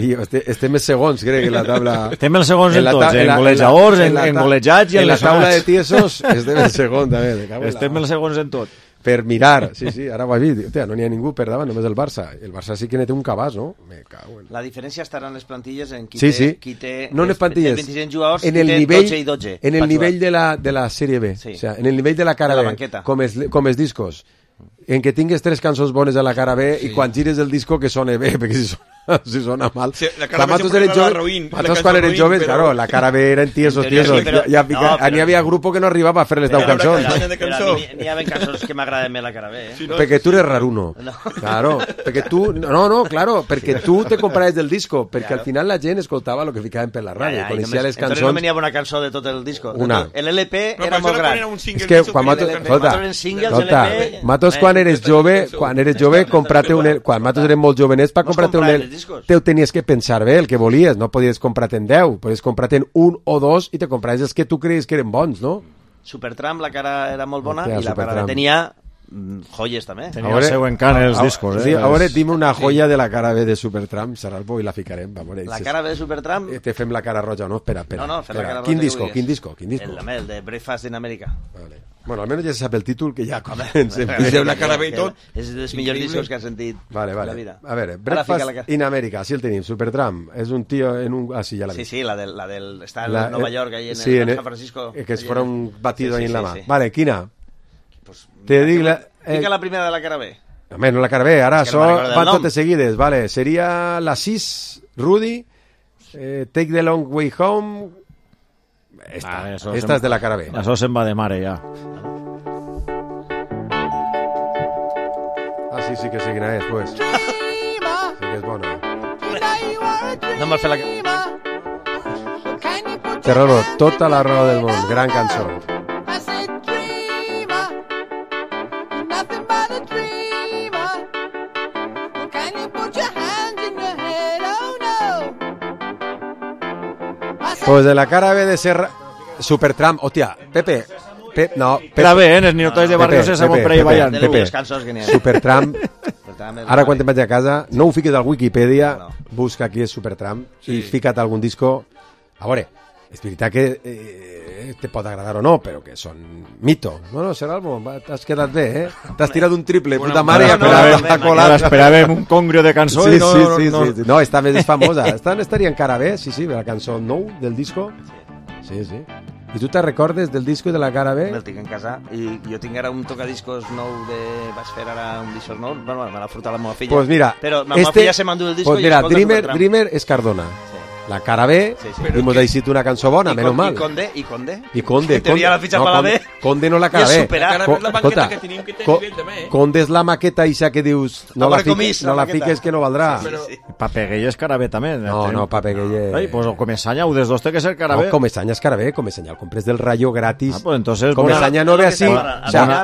i estem els segons, crec, en la taula... Estem els segons en tots, en golejadors, en golejats i en la taula de tiesos estem el segon també. Estem els segons en tot. Per mirar, sí, ara ho has vist, no n'hi ha ningú per davant, només el Barça. El Barça sí que ne té un cabàs, no? Me cago en... La diferència estarà en les plantilles en qui té no en les plantilles, 25 jugadors, en el qui té nivell, 12 i 12. En el nivell de la Sèrie B, o sea, en el nivell de la cara B, com els discos, en què tingues 3 cançons bones a la cara B i quan gires el disco que sone bé, perquè si sona mal. Sí, la cara B sempre era la Roín. Nosaltres quan eren joves, claro, la cara B eren tiesos. N'hi havia grup que no arribava a fer les 10 cançons. N'hi havia cançons que m'agraden més la cara B. Perquè tu eres raruno. Claro, perquè tu... No, claro, perquè tu te compraves del disco, perquè al final la gent escoltava el que ficaven per la ràdio, coneixia les cançons... Entonces no venia una cançó de tot el disco. Una. El LP era molt gran. És que quan matos quan eres jove, comprate un... Quan matos eren molt jovenets, per comprate un... Te tenies que pensar bé el que volies, no podies comprar-te en 10, podies comprar-te en 1 o 2 i te compraves els que tu creies que eren bons, no? Supertramp, la cara era molt bona i la cara tenia joies també. Tenia el seu encant els discos. Sí, ara dime una joia de la cara B de Supertramp, Saralbo, i la ficarem. La cara B de Supertramp? Te fem la cara roja, no? Espera. No, fem la cara roja. Quin disco? El de Breakfast in America. Vale. Bueno, almenys ja se sap el títol, que ja la cara B i tot. És dels millors discos que has sentit la vida. A veure, Breakfast in America, sí el tenim, Supertramp, és un tio en un... Ah, sí, ja l'ha vist. Sí, la del... Està en Nova York, ahí en San Francisco. Que es fuera un batido ahí en la mà. Vale, quina? Te dic la... Fica la primera de la cara B. No la cara B, ara van totes seguides, vale. Seria la 6, Rudy, Take the Long Way Home... Esta és de la cara B. Això se'n va de mare, ja. Ah, sí que sé quina és, pues. Sí que és bona. No me'l fer la... Té raó, tota la raó del món. Gran cançó. Pues de la cara B de Serra... Supertramp, hòstia, Pepe... no, Pepe. Era bé, els ninotois de Barrio Sésamo per ahí ballant. Pepe, Supertramp, ara quan te'n vaig a casa, no ho fiques al Wikipedia, busca qui és Supertramp i fica't algun disco. A veure, és veritat que te pot agradar o no, però que són mito. No, Serralbo, t'has quedat bé, eh? T'has tirat un triple, puta mare, esperàvem un congrio de cançó i no... Sí. No, esta més és famosa. Estaria encara bé, sí, la cançó nou del disco. Sí. I tu te recordes del disco de la cara B? Me'l tinc en casa i jo tinc ara un tocadiscos nou de... Vaig fer ara un discos nou, bueno, me l'ha furtat la meva filla. Pues mira, però la meva filla se m'endú el disco pues mira, Dreamer és Cardona. Sí. La cara B, hemos deixat una cançó bona, menys mal. I Conde. Tenia la fitxa per la B. Conde no la cara B. Conde és la maqueta ixa que dius no la fiques que no valdrà. Papeguell és cara B també. No, Papeguell... Pues Comesanya, ho des dos té que ser cara B. No, Comesanya és cara B, Comesanya el compres del Rayo gratis. Pues entonces... Comesanya no ve así,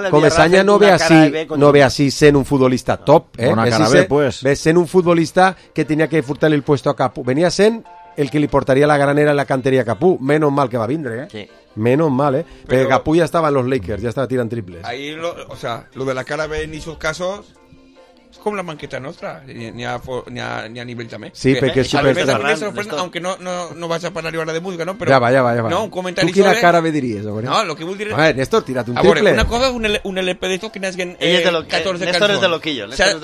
Comesanya no ve así sent un futbolista top, Bona cara B, pues. Ve sent un futbolista que tenia que furtar-li el puesto a Capú. Venia sent el que li portaria la granera en la canteria a Capú. Menos mal que va vindre, Sí. Menos mal, Pero Capú ya estaba en los Lakers, ya estaba tirando triples. Ahí, lo de la cara B en esos casos es como la manqueta nuestra, ni a nivel también. Sí, porque es súper... Aunque no vas a parar ahora de música, ¿no? Pero, ya va. No, un comentario ¿Tú quina cara B dirías? No, lo que voy a decir... A ver, Néstor, tírate un triple. Una cosa es un LP de estos que nazguen 14 canciones. Néstor es de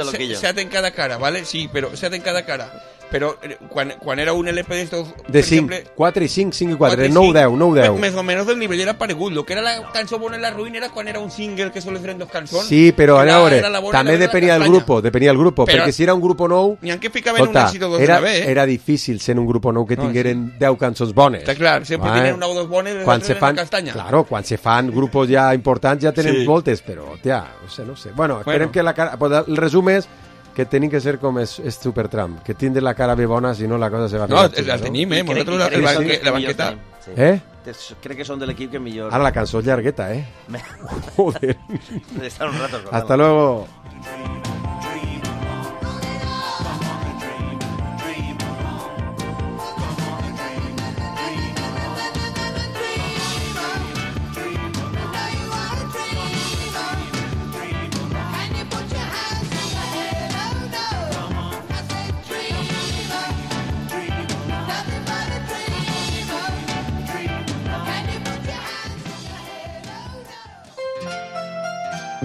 loquillo. Se hacen cada cara, ¿vale? Sí, pero se hacen cada cara. Però quan era un LP d'estos... De 5, 4 i 5, 5 i 4, 9-10. Més o menys el nivell era paregut. Lo que era la cançó bona en la ruïna era quan era un single que solo eren dos cançons. Sí, però a veure, també depenia del grupo, perquè si era un grupo nou... N'hi ha que ficaven un èxit o dos una vez, Era difícil sent un grupo nou que tingueren 10 cançons bones. Està clar, sempre tenen una o dos bones i les altres en la castanya. Claro, quan se fan grupos ja importants ja tenen moltes, però, tia, no sé. Bueno, esperem que el resum és que tenim que ser com és Supertramp, que tindre la cara bé bona, si no la cosa se va a fer. No, la tenim, nosaltres la banqueta. Crec que són de l'equip que millor... Ara la cançó és llargueta, Joder. Estar un rato. Hasta luego.